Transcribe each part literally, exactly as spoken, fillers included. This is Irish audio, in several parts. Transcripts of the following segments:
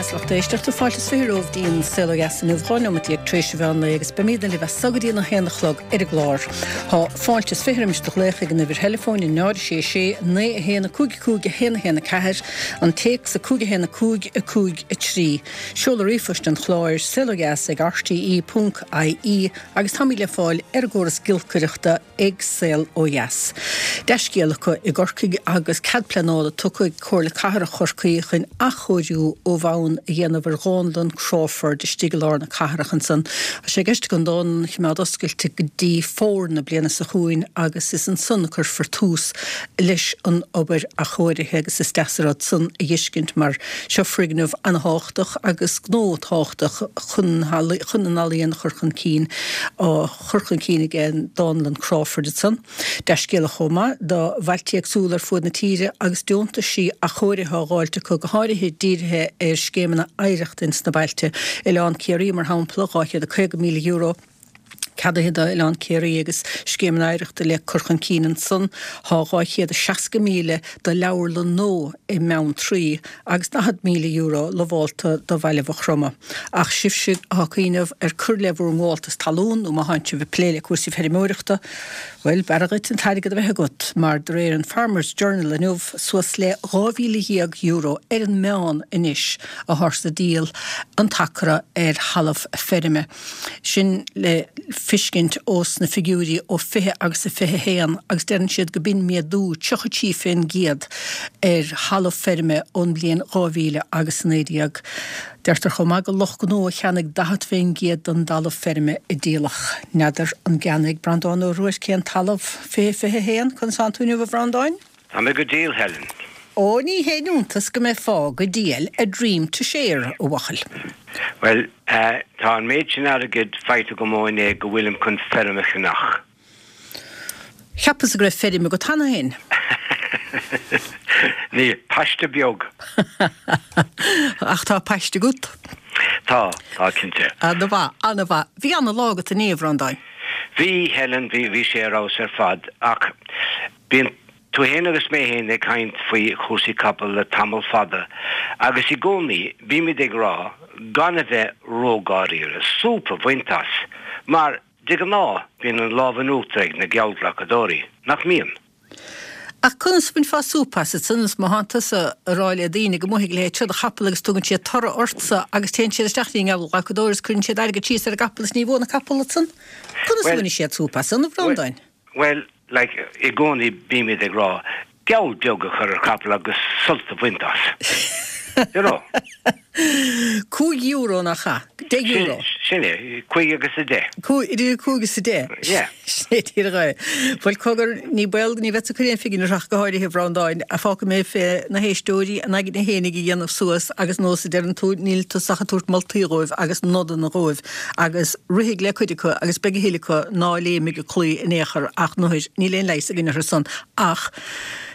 dheas lucht éisteachta fáilte is fiche romhaibh dtí'n Saol Ó Dheas inniu dhá neomat déag tar éis an mheán lae agus beimid libh as so go dtí an a haon a chlog ar an gclár. Tá fáilte is fiche roimis do ghlaoch ag an uimhir theileafóin a náid sé sé naoi a haon a cúig a cúig a haon a haon a ceathair, an téacs a cúig a haon a cúig a cúig a trí. Seoladh ríomhphoist an chláir saol ó dheas ag rte ponc ie agus táimid le fáil ar an gcóras giolcaireachta ag Saol Ó Dheas. Dea-scéal acu i gCorcaigh agus cead pleanála tugtha ag Comhairle Cathrach Chorcaí chun athchóiriú ó bhonn a dhéanamh ar Dhánlann Crawford istigh i lár na cathrach ansan. Tá sé i gceist an dánlann a choimeád oscailte go dtí fómhar na bliana seo chugainn agus is ansan a cuirfear tús leis an obair athchóirithe agus is deas an rud san a fheiscint mar seo foirgneamh an-tábhachtach agus gnó tábhachtach chun chun an ealaíon a chur chun cinn á chur chun cinn ag an Dánlann Crawford ansan. Dea-scéala chomh maith do bhailte éagsúla ar fud na tíre agus deontaisí athchóirithe á dháilt acu go háirithe dírithe ar scéimeanna oidhreachta ins na bailte. Oileán Ciarraí mar shampla dhá chéad a caoga míle euro ceadaithe d'Oileán Ciarraí agus scéimeanna oidhreachta le cur chun cinn ansan. Tá dhá chéad a seasca míle do leabharlann nua i mBeanntraí agus daichead míle euro lamhálta do Bhaile Mhaigh Chromtha. Ach sibhse atá ag cuimhneamh ar cur le bhur ngabháltas talún nó má thánn sibh ag plé le cúrsaí feirmeoireachta, bhuel, b'fhearra dhuit an t-airgead a bheith agat, mar de réir an Farmers Journal inniu, suas le dhá mhíle dhéag euro ar an meán anois atáthar ag díol an t-acra ar thalamh feirme. Sin le feiscint ós na figiúirí ó fiche agus a fiche haon agus deireann siad go b'in méadú tríocha trí fén gcéad ar thalamh feirme ón mbliain dhá mhíle agus a naoi déag. Deirtear chomh maith gur lucht gnó a cheannaigh daichead fén gcéad den dtalamh feirme a díoladh. N'fheadar an gceannaigh Breandán Ó Ruairc aon talamh fiche fiche haon? Conas tánn tú inniu a Bhreandáin? Tá mé go diail, Helen. Ó ní haon iontas go mbeifeá go diail, a dream to share, a bhuachaill. Bhuel, tá an méid sin airgid faighte agam ó inné go bhfuilim chun feirm a cheannach. Cheapas go raibh feirm agat cheana féin. Níl, paiste beag. Ach tá paiste agat? Tá, tá cinnte. Ana-mhaith, ana-mhaith. Bhí ana-lá agat inné, a Bhreandáin. Bhí, Helen, bhí, bhí sé ar fheabhas ar fad ach bíonn tú féin agus mé féin ag caint faoi chúrsaí capall le tamall fada agus i gcónaí bímid ag rá gan a bheith ródháiríre, súp a bhaint as, mar de ghnáth bíonn an lámh in uachtar ag na geallghlacadóirí, nach mbíonn? Ach conas a bhainfeá súp as ansan is má thánn tusa ag rá le daoine go mbuafaidh a leithéid seo de chapall agus tugann siad toradh ortsa agus téann siad isteach dtí an ngeallghlacadóir agus cuireann siad airgead síos ar an gcapall is ní bhuann an capall ansan? Conas a bhainfidh siad súp as san, a Bhreandáin? Bhuel, like, i gcónaí bímid ag rá geall beag a chur ar chapall agus sult a bhaint as. You know? Cúig euro nach ea? Deich euro. Sin é, cúig agus a deich. Cúig, idir cúig is a deich. Yeah. Sin é díreach é. Bhuel, cogar, ní baol, ní bheadsa ag cur aon phingin air ach go háirithe, a Bhreandáin, ach fágfaidh mé fé na héisteoirí a n-aigne fhéinig a dhéanamh suas agus nós a deireann tú, níl tusa ach ag tabhairt moltaí dhóibh agus nodanna dhóibh agus rithfidh le cuid acu agus beidh a thuilleadh acu ná léimfidh an claí in aon chor ach nuair, níl aon leigheas againn orthu san ach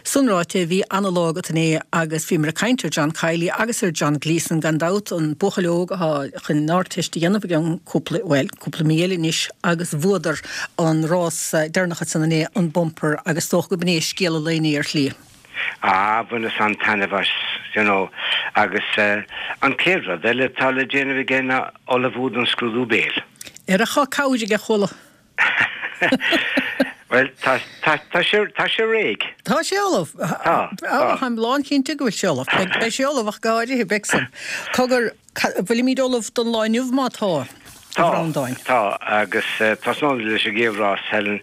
san ráite bhí ana-lá agat inné agus bhíomar ag caint ar John Kiely agus ar John Gleeson gan dabht, an buachaill óg atá chun an Ardteist a dhéanamh i gceann cúpla, bhuel, cúpla mí eile anois agus bhuadar an rás deireanach ansan inné, an bumper agus is dócha go b'in é scéal an lae inné ar shlí. Ah, bhaineas an-taitneamh as, you know, agus an chéad rud eile atá le déanamh aige ná ullmhú don scrúdú béil. Ar a chá cabhair aige, chuala. Bhuel, tá, tá, tá sé, tá sé réidh. Tá sé ullamh. Tá, tá. Táim lánchinnte go bhfuil sé ullamh. Beidh, beidh sé ullamh ach go háirithe, beidh san. Cogar, bhfuilimid ullamh don lá inniu má tá, a Tá, Bhreandáin? tá, agus tosnóimid leis an gcéad rás, Helen.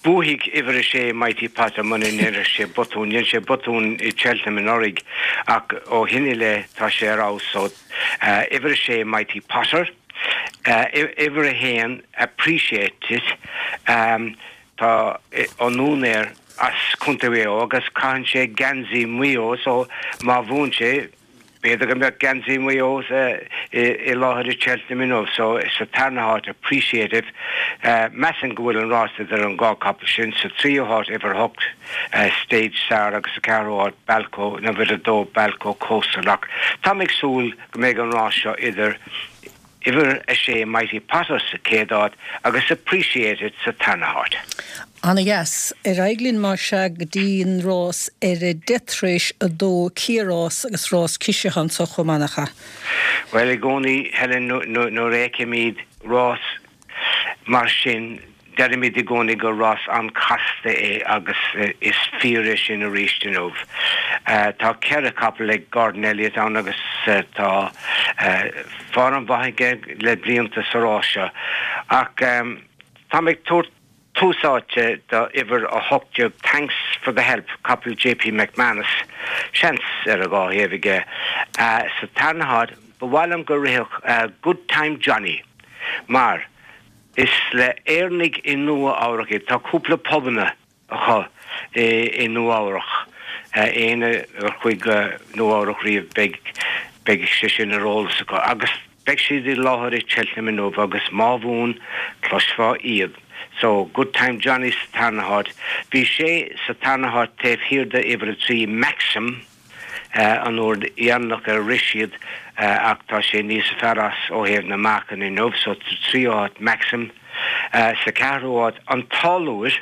Buafaidh uimhir a sé Mighty Potter muna ndéanfaidh sé botún. Dhein sé botún i Cheltenham anuraidh ach ó shin i leith tá sé ar fheabhas so uimhir a sé Mighty Potter, uimhir a haon Appreciate It, tá an úinéir as Contae Mhaigh Eo agus caitheann sé geansaí Mhaigh Eo so má bhuann sé B'fhéidir go mbeadh geansaí Mhaigh Eo i láthair i Cheltenham inniu so sa tarna háit Appreciate It. Measaim go bhfuil an rás idir an dhá capall sin. Sa tríú háit uimhir a hocht Stage Star agus sa ceathrú háit Balco nó uimhir a dó Balco Coastal ach táim ag súil go mbeidh an rás seo idir uimhir a sé Mighty Potter sa chéad áit agus Appreciate It sa tarna háit. Ana-dheas. Ar aghaidh linn mar sea go dtí an rás ar a deich tar éis a dó, cliathrás agus rás ciseach anso chomh maith, nach ea? Bhuel, i gcónaí, Helen, nuair a fheicimid rás mar sin, deirimid i gcónaí gur rás an-chasta é agus is fíor é sin arís inniu. Tá ceithre chapall ag Gordon Elliott ann agus tá form mhaith aige le blianta sa rás seo. Ach táim ag tabhairt tús áite do uimhir a hocht déag Thanks for the Help, capall JP McManus, seans ar a dhá thaobh aige. Sa tarna háit, ba mhaith liom go rithfeadh Good Time Johnny mar is le Éireannaigh i Nua Eabhrac iad. Tá cúpla pubanna acu i Nua Eabhrac. Éinne a chuaigh go Nua Eabhrac riamh beidh beidh sé sin ar eolas acu. Agus beidh siad i láthair i Cheltenham inniu agus má bhuann, cloisfeá iad. So, Good Time Johnny sa tarna háit. Bhí sé sa tarna háit taobh thiar de uimhir a trí, Maxim, an uair dheireanach ar rith siad ach tá sé níos fearr as ó thaobh na meáchan inniu. So, sa tríú háit, Maxim. Sa ceathrú háit, An Táilliúir.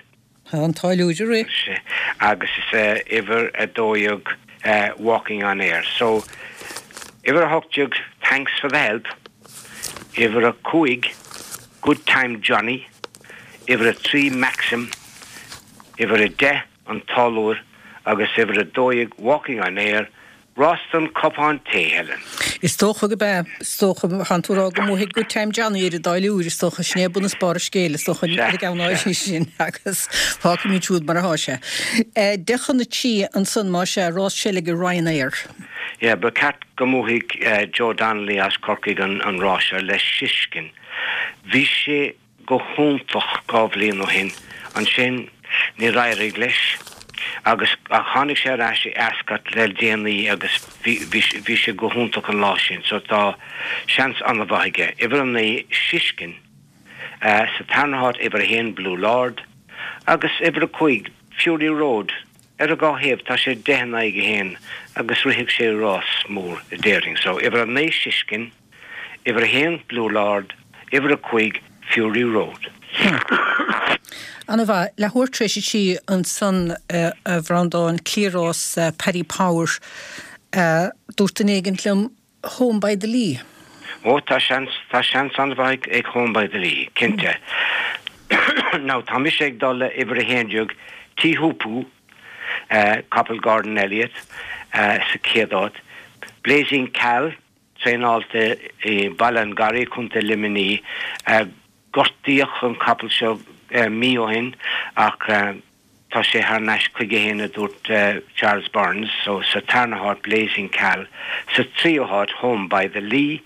Tá an Táilliúir ag rith. Agus is é uimhir a dó dhéag Walking on Air. So, uimhir a hocht déag Thanks for the Help, uimhir a cúig Good Time Johnny, uimhir a trí Maxim, uimhir a deich An Táilliúir agus uimhir a dó dhéag Walking on Air, Rás don cupán tae, Helen. Is dócha gurb ea. Is dócha, tánn tú ag rá go mbuafaidh Good Time Johnny ar an dtáilliúir, is dócha, sin é bun is barr an scéil, is dócha, ar an gceann áirithe sin, agus fágfaimid siúd mar atá sé. Deich chun a trí ansan, más ea, rás seilge Ryanair. Yeah, ba cheart go mbuafaidh Joe Donnelly as Corcaigh an rás seo le Siskin. Bhí sé go hiontach dhá bhliain ó shin. Ansin níor éirigh leis agus ach tháinig sé ar ais i Ascot le déanaí agus bhí bhí sé go hiontach an lá sin so tá seans an-mhaith aige. Uimhir a naoi, Siskin, sa tarna háit uimhir a haon, Blue Lord, agus uimhir a cúig, Fury Road, ar a dhá thaobh tá sé deich in aghaidh a haon agus rithfidh sé rás mór déarfainn. So uimhir a naoi, Siskin. Uimhir a haon, Blue Lord, Uimhir a cúig, Fury Road. Ana mhaith. Leathuair tar éis a trí ansan a Bhreandáin, cliathrás Paddy Power. Dúirt duine éigint liom Home by the Lee. Ó tá seans, tá seans an-mhaith ag Home by the Lee, cinnte. Now tá mise ag dul le uimhir a haon déag, Teahupoo, capall Gordon Elliott, sa chéad áit. Blazing Khal, Traenáilte i Baile an Gharraí, Contae Luimnigh. Gortaíodh an capall seo mí ó shin ach tá sé thar n-ais chuige féin, a dúirt Charles Byrnes. So, sa tarna háit, Blazing Khal, sa tríú háit, Home by the Lee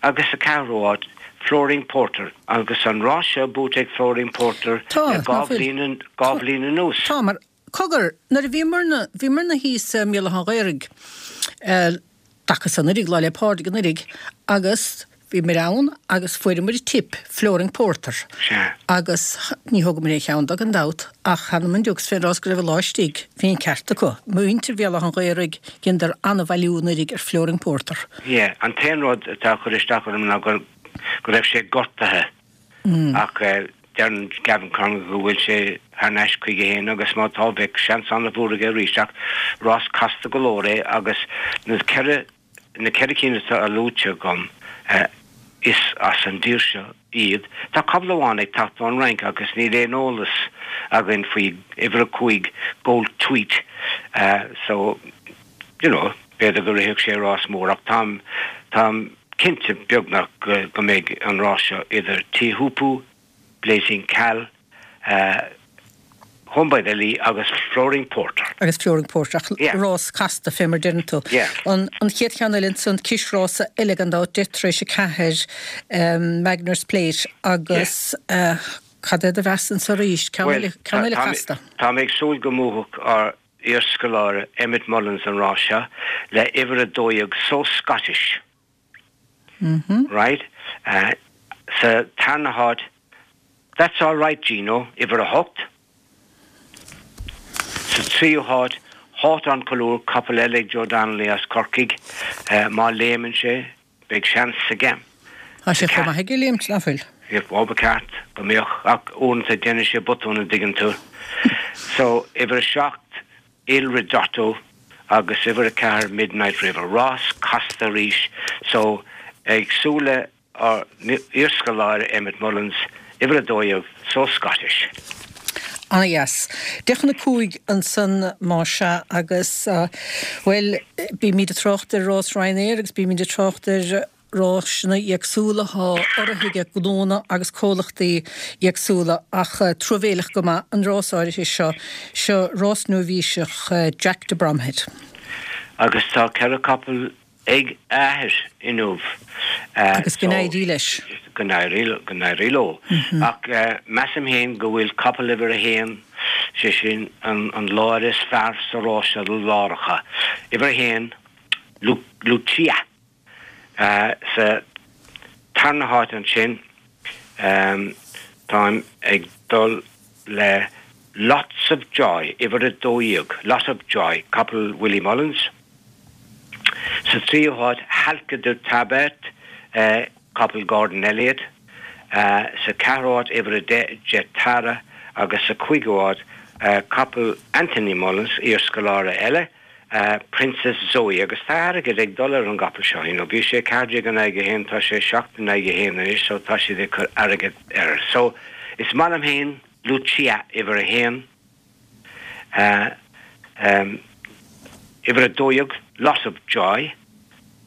agus sa ceathrú háit, Flooring Porter. Agus an rás seo buaite ag Flooring Porter Tá, le ná dhá fuil? bhliain, dhá bhliain anuas. Tá, mar, cogar, nuair a bhíomarna, bhíomarna thíos i mBéal Átha an Ghaorthaidh, dtaca san anuraidh, Lá 'le Pádraig anuraidh, agus bhíomar ann agus fuaireamar tip, Flooring Porter, Sea. agus ní thógamar aon cheann de gan dabht, ach th'anam 'on diucs fén rás go raibh an lá istigh, bhí an ceart acu. Muintir Bhéal Átha an Ghaorthaidh, dheineadar an-bhailiú anuraidh ar Flooring Porter. Yeah, an t-aon rud atá ag cur isteach orm ná go go raibh sé gortaithe ach deireann Gavin Conlon go bhfuil sé thar n-ais chuige féin agus má tá, beidh seans an-mhór aige arís ach rás casta go leor é agus na ceithre na ceithre cinn atá luaite agam is as an dtír seo iad. Tá capall amháin ag teacht ón Fhrainc agus níl aon eolas againn faoi uimhir a cúig Gold Tweet so you know b'fhéidir go rithfeadh sé rás mór ach táim táim cinnte beagnach go mbeidh an rás seo idir Teahupoo, Blazing Khal, Home by the Lee agus Flooring Porter. Agus Flooring Porter, ach Yeah. rás casta fé mar deireann tú. Yeah. An an chéad cheann eile ansan, cisrása eile gan dabht, deich tar éis a ceathair, Magner's Plate agus Yeah. cad é do mheas anso arís? Ceann Bhuel, eile, ceann eile tá casta. tá mé ag súil go mbuafadh ár iarscoláire Emmet Mullins an rás seo le uimhir a dó dhéag So Scottish. Right? Sa tarna háit, That's All Right Gino, uimhir a hocht. Sa tríú háit, Hawthorn Colúr, capall eile ag Joe Donnelly as Corcaigh. Má léimeann sé, beidh seans aige. Tá sé chomh maith aige léimt, nach bhfuil? Ó ba ceart go mbeadh ach uaireanta déanann sé botún an dtuigeann tú. So uimhir a seacht Il Ridotto agus uimhir a ceathair Midnight River. Rás casta arís so ag súil le ár n-iarscoláire Emmet Mullins, uimhir a dó dhéag So Scottish. Ana-dheas. Deich chun a cúig ansan más ea agus bhuel bímid ag trácht ar rás Ryanair agus bímid ag trácht ar rásanna éagsúla atá urraithe ag gnónna agus comhlachtaí éagsúla ach truamhéileach go maith an rás áirithe seo, seo rás nóibhíseach Jack de Bromhead. Agus tá ceithre capall ag a athair inniu. Agus go n-éirí leis. Go n-éirí leo. Ach measaim féin go bhfuil capall uimhir a haon, sé sin an láir is fearr sa rás seo do láracha. Uimhir a haon, Lucia. Sa tarna háit ansin, táim ag dul le Lots of Joy, uimhir a dó dhéag, Lot of Joy, capall Willie Mullins. Sa tríú háit, Halka Du Tabert, capall Gordon Elliott. Sa ceathrú háit, uimhir a deich, Jet Tara agus sa cúigiú háit, capall Anthony Mullins, iarscoláire eile, Princess Zoe agus tá airgead ag dul ar an gcapall seo, you know, bhí sé ceathair déag in aghaidh a haon, tá sé seacht in aghaidh a haon anois so tá siad ag cur airgead air. So is maith liom féin Lucia uimhir a haon, uimhir a dó dhéag Lot of Joy,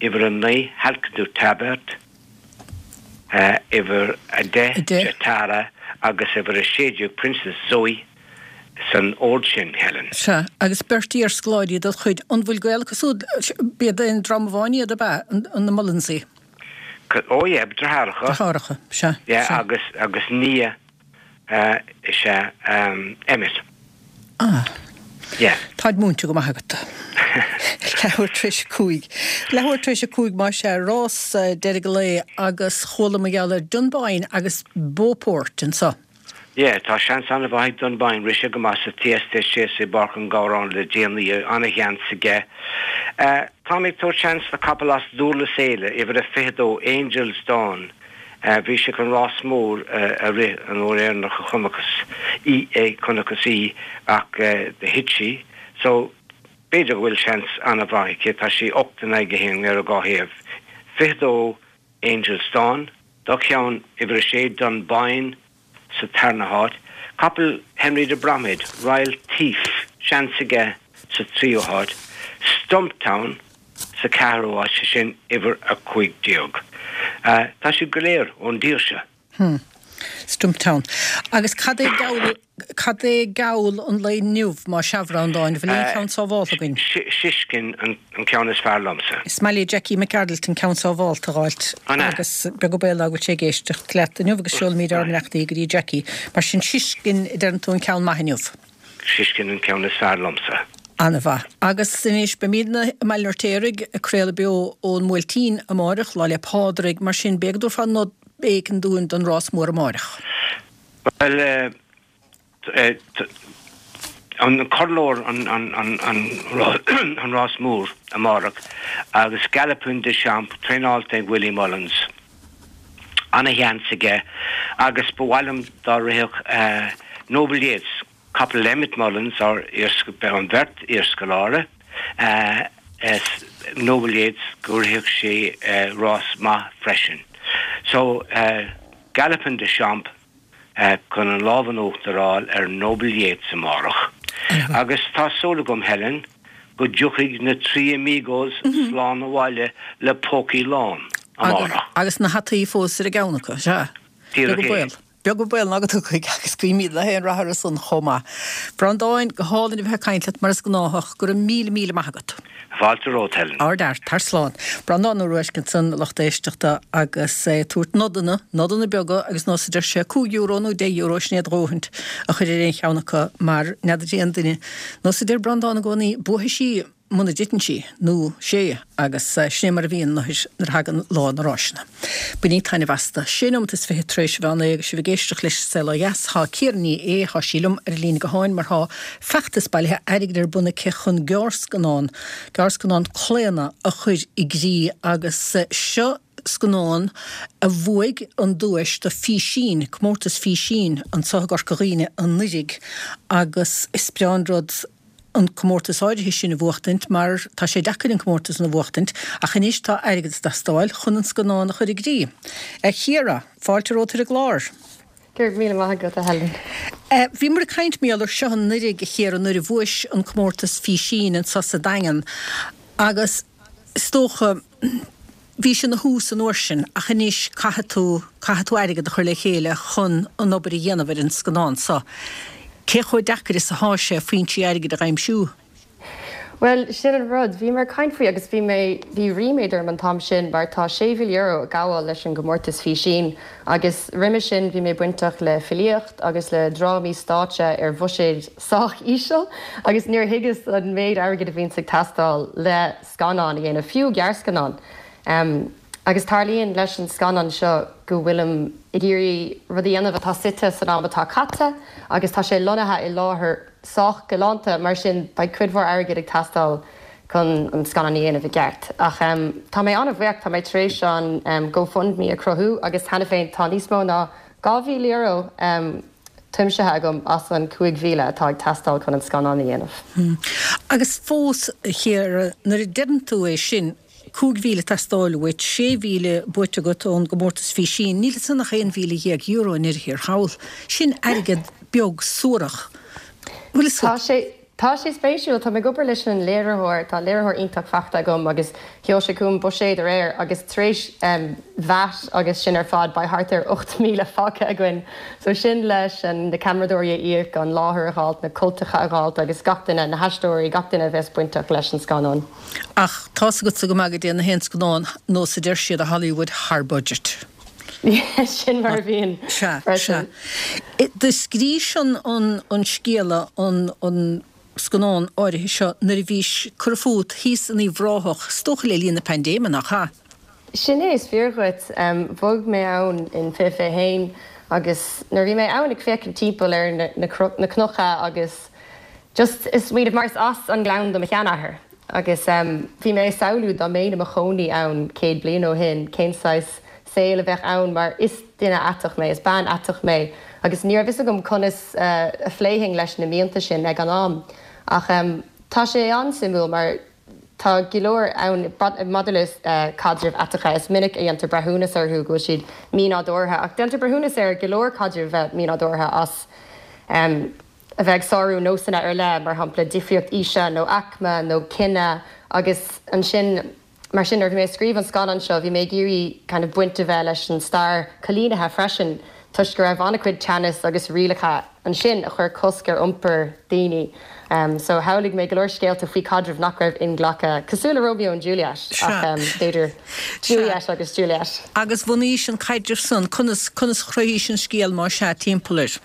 uimhir a naoi Halka Du Tabert, uimhir a deich Jetara agus uimhir a sé déag Princess Zoe. san ord sin, Helen. Sea, agus beirt iarscoláirí de do chuid, an bhfuil gaol acu siúd, b'iad aon dream amháin iad, ab ea, na Mullinsaí? Ó yeah, deartháireacha. Deartháireacha, sea, Yeah, sea. agus, agus nia is ea Emmet. Ah. Yeah. Táid múinte go maith agat. Leathuair tar éis a cúig. Leathuair tar éis a cúig, más ea, rás deiridh an lae agus chuala mar gheall ar Dunboyne agus Beauport anso. Yeah, tá seans an-mhaith ag Dunboyne. Rith sé go maith sa Thyestes Chase i bPáirc an Ghabhráin le déanaí, an-sheans aige. Táim ag tabhairt seans do capall as Dúrlas Éile, uimhir a fiche dó, Angel's Dawn. Bhí sé chun rás mór a rith an uair dheireanach a chonacthas í, chonacthas í ach do thit sí. So, b'fhéidir go bhfuil seans an-mhaith aici. Tá sí ocht in aghaidh a haon ar an dhá thaobh. Fiche dó, Angel's Dawn. Dá cheann, uimhir a sé, Dunboyne. sa tarna háit, capall Henry de Bromhead, Royal Thief, seans aige sa tríú háit, Stumptown sa ceathrú háit, sé sin uimhir a cúig déag. Tá siad go léir ón dtír seo. Hmm. Stumptown. Agus cad é geall, cad é geall an lae inniu, más ea, a Bhreandáin, bhfuil aon cheann sábhálta againn? Siskin an ceann is fearr liomsa. Is maith le Jackie McArdle an ceann sábhálta a dh'fháilt agus beag an baol ná go bhfuil sé ag éisteacht leat inniu agus seolfaimid ár mbeannachtaí go dtí Jackie. Mar sin Siskin a deireann tú an ceann maith inniu. Siskin an ceann is fearr liomsa. Ana-mhaith. Agus anois beimidne i mBaile an Fheirtéaraigh ag craoladh beo ón mBuailtín amáireach, Lá 'le Pádraig, mar sin b'fhéidir go dtabharfá nod éigin dúinn don rás mór amáireach. Bhuel, an Corrlóir an rás mór amárach agus Galopin Des Champs traenáilte ag Willie Mullins. Ana-sheans aige agus ba mhaith liom dá rithfeadh Noble Yeats, capall Emmet Mullins, ár an bheirt iarscoláire, Noble Yeats, go rithfeadh sé rás maith freisin. So, Galopin Des Champs chun an lámh in uachtar a fháil ar Noble Yeats amárach. Agus tá súil agam, Helen, go dtiocfaidh na trí amigos slán abhaile le pócaí lán amárach. Agus na hataí fós ar a gceann acu, sea. Díreach é. Beag an baol ná go dtiocfaidh agus guímid le haon rath orthu san chomh maith. Breandáin, go hálainn a bheith ag caint leat mar is gnáthach. Go raibh míle míle maith agat. Fáilte romhat, Helen. Ard-fhear, tar slán. Breandán Ó Ruaisc ansan, a lucht éisteachta, agus é ag tabhairt nodanna, nodanna beaga agus nós a deir sé, cúig euro nó deich euro, sin é a dhóthaint a chur ar aon cheann acu mar n'fheadar aon duine. Nós a deir Breandán i gcónaí, buafaidh sí muna dtiteann sí, nó sé, agus sin é mar a bhíonn nuair a thagann lá na ráiseanna. Bainígí taitneamh astu. Sé nóimeat is fiche tar éis a mheán lae agus sibh ag éisteacht leis An Saol Ó Dheas. Tá Ciara Ní É, tá sí liom ar an líne gutháin mar tá feachtas bailithe airgid ar bun aici chun gearrscannán, gearrscannán Claonadh a chur i gcrích agus seo scannán a bhuaigh an duais do físín, comórtas físín anseo i gCorca Dhuibhne anuraidh agus is breá an rud an comórtas áirithe sin a bhuachtaint mar tá sé deacair an comórtas a bhuachtaint ach anois tá airgead ag teastáil chun an scannán a chur i gcrích. A Chiara, fáilte romhat ar an gclár. Go raibh míle maith agat a Helen. Bhíomar ag caint mar gheall air seo anuraidh a Chiara nuair a bhuais an comórtas físín anseo sa Daingean agus is dócha bhí sé ina thús an uair sin ach anois caithfidh tú caithfidh tú airgead a chur le chéile chun an obair a dhéanamh ar an scannán seo. Cé chomh deacair is atá sé foinsí airgid a aimsiú? Well, sin an rud, bhí mé ag caint faoi agus bhí mé bhí ríméad orm an t-am sin mar tá sé mhíle euro ag gabháil leis an gcomórtas físín agus roimhe sin bhí mé bainteach le filíocht agus le drámaí stáitse ar bhuiséad sách íseal agus níor thuigeas an méid airgid a bhíonns ag teastáil le scannán a dhéanamh, fiú gearrscannán. Um, agus tarlaíonn leis an scannán seo go bhfuilim ag iarraidh rud a dhéanamh atá suite san am atá caite agus tá sé lonnaithe i láthair sách galánta mar sin beidh cuid mhór airgid ag teastáil chun an scannán a dhéanamh i gceart. Ach um, tá mé an-bhuíoch tá mé tar éis an um, GoFundMe a chruthú agus cheana féin tá níos mó ná dhá mhíle euro um, tiomsaithe agam as an cúig mhíle atá ag teastáil chun an scannán a dhéanamh. Hmm. Agus fós a Chiara nuair a deireann tú é sin, cúig mhíle ag teastáil uait, sé mhíle buaite agat ón gcomórtas físín, níl ansan ach aon mhíle dhéag euro i ndeireadh thiar thall. Sin airgead beag suarach. Bhfuil fhios Tá agat? sé Tá sé spéisiúil, tá mé ag obair leis an léiritheoir, tá léiritheoir iontach faighte agam agus sheol sé chugam buiséad aréir agus tar éis um, VAT agus sin ar fad beidh thart ar ocht míle fágtha againn. So sin leis an na ceamaradóirí a íoc, an láthair a fháilt, na cultacha a fháilt agus gach duine, na haisteoirí, gach duine a bheas bainteach leis an scannán. Ach tá's agatsa go maith go dtéann na haon scannán nós a deir siad i Hollywood thar budget. Sin mar a bhíonn Sea, sea. freisin. Do scríobhais an, an, an scéala, an, an scannán áirithe seo nuair a bhís curtha fút thíos in Uíbh Ráthach, is dócha le linn na paindéime, nach ea? Sin é is fíor dhuit. Um, bhog mé ann in fiche fiche haon agus nuair bhí mé ann ag féachaint timpeall ar na, na, na cnoca agus just is smaoineamh mar is as an nGleann do mo sheanathair. Agus um, bhí mé ag samhlú dá mbeinn i mo chónaí ann céad bliain ó shin, cén saghas saol a bheadh ann mar is duine aiteach mé, is bean aiteach mé, agus ní raibh fhios agam conas uh, a phléifinn leis na mianta sin ag an am. Ach um, tá sé an-suimiúil mar tá go leor ann maidir le uh, caidrimh aiteacha is minic a dhéantar breithiúnas orthu go bhfuil siad mínádúrtha ach déantar breithiúnas ar go leor caidrimh bheith mínádúrtha as um, a bheith ag sárú nósanna ar leith mar shampla difríocht aoise nó aicme nó cine agus ansin mar sin nuair bhí mé ag scríobh an scannán seo bhí mé ag iarraidh kind of baint a bheith leis an stair coilínithe freisin toisc go raibh an-chuid teannas agus rialacha ansin a chuir cosc ar iompar daoine. Um, so shamhlaigh mé go leor scéalta faoi caidrimh nach raibh inghlactha cosúil le Romeo and Juliet ach um, b'fhéidir Juliet agus Juliet. Agus bhunaís an caidreamh san conas conas chruthaís an scéal mar sea timpeall air.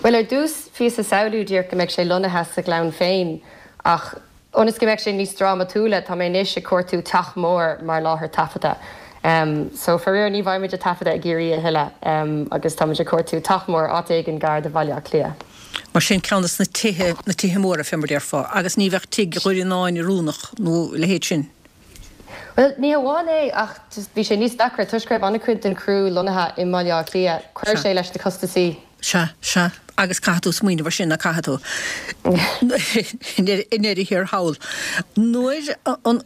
Well ar dtús bhíos ag samhlú díreach go mbeadh sé lonnaithe sa Ghleann féin ach ionas go mbeadh sé níos drámatúla tá mé anois ag cuartú teach mór mar láthair taifeadta. Um, so faraor ní bheimid ag taifeadadh i gCiarraí a thuilleadh um, agus táimid ag cuartú teach mór áit éigin gar do Bhaile Átha Cliath. Mar sin ceann de na tithe na tithe móra fé mar a déarfá, agus ní bheadh tigh Dhoire oiriúnach nó a leithéid sin. Well ní hamháin é ach just bhí sé níos deacra toisc go raibh an-chuid den chriú lonnaithe i mBaile Átha Cliath, chuir sé leis na costaisí. Sea, sea, agus caithfidh tú smaoineamh air sin nach caithfidh tú i ndeireadh thiar thall. Nuair an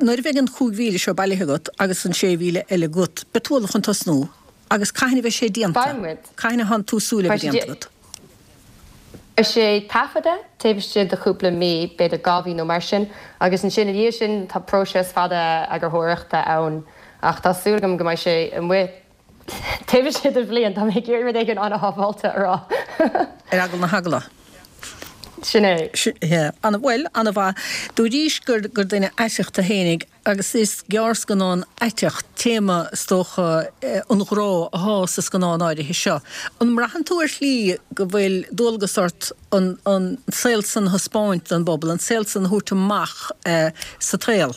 nuair a bheidh an chúig mhíle seo bailithe agat agus an sé mhíle eile agat, beidh tú ullamh chun tosnú agus cathain a bheidh sé déanta? Beidh muid. Cathain atánn tú ag súil le bheith déanta agat? Beidh sé taifeadta taobh istigh de chúpla mí, b'fhéidir dhá mhí nó mar sin, agus ansin ina dhiaidh sin tá próiseas fada eagarthóireachta ann ach tá súil agam go mbeidh sé amuigh taobh istigh de bhliain, tá mé ag iarraidh rud éigin an-shábháilte a rá. Ar eagla na heagla. Sin é. Ana, bhuel, ana-mhaith. Dúraís gur gur duine aiteach tú fhéinig agus is gearrscannán aiteach, téama is dócha an ghrá athá sa scannán áirithe seo. An mbraitheann tú ar shlí go bhfuil dualgas ort an an saol san a thaispeáint don bpobal, an saol san a thabhairt amach sa tsaol?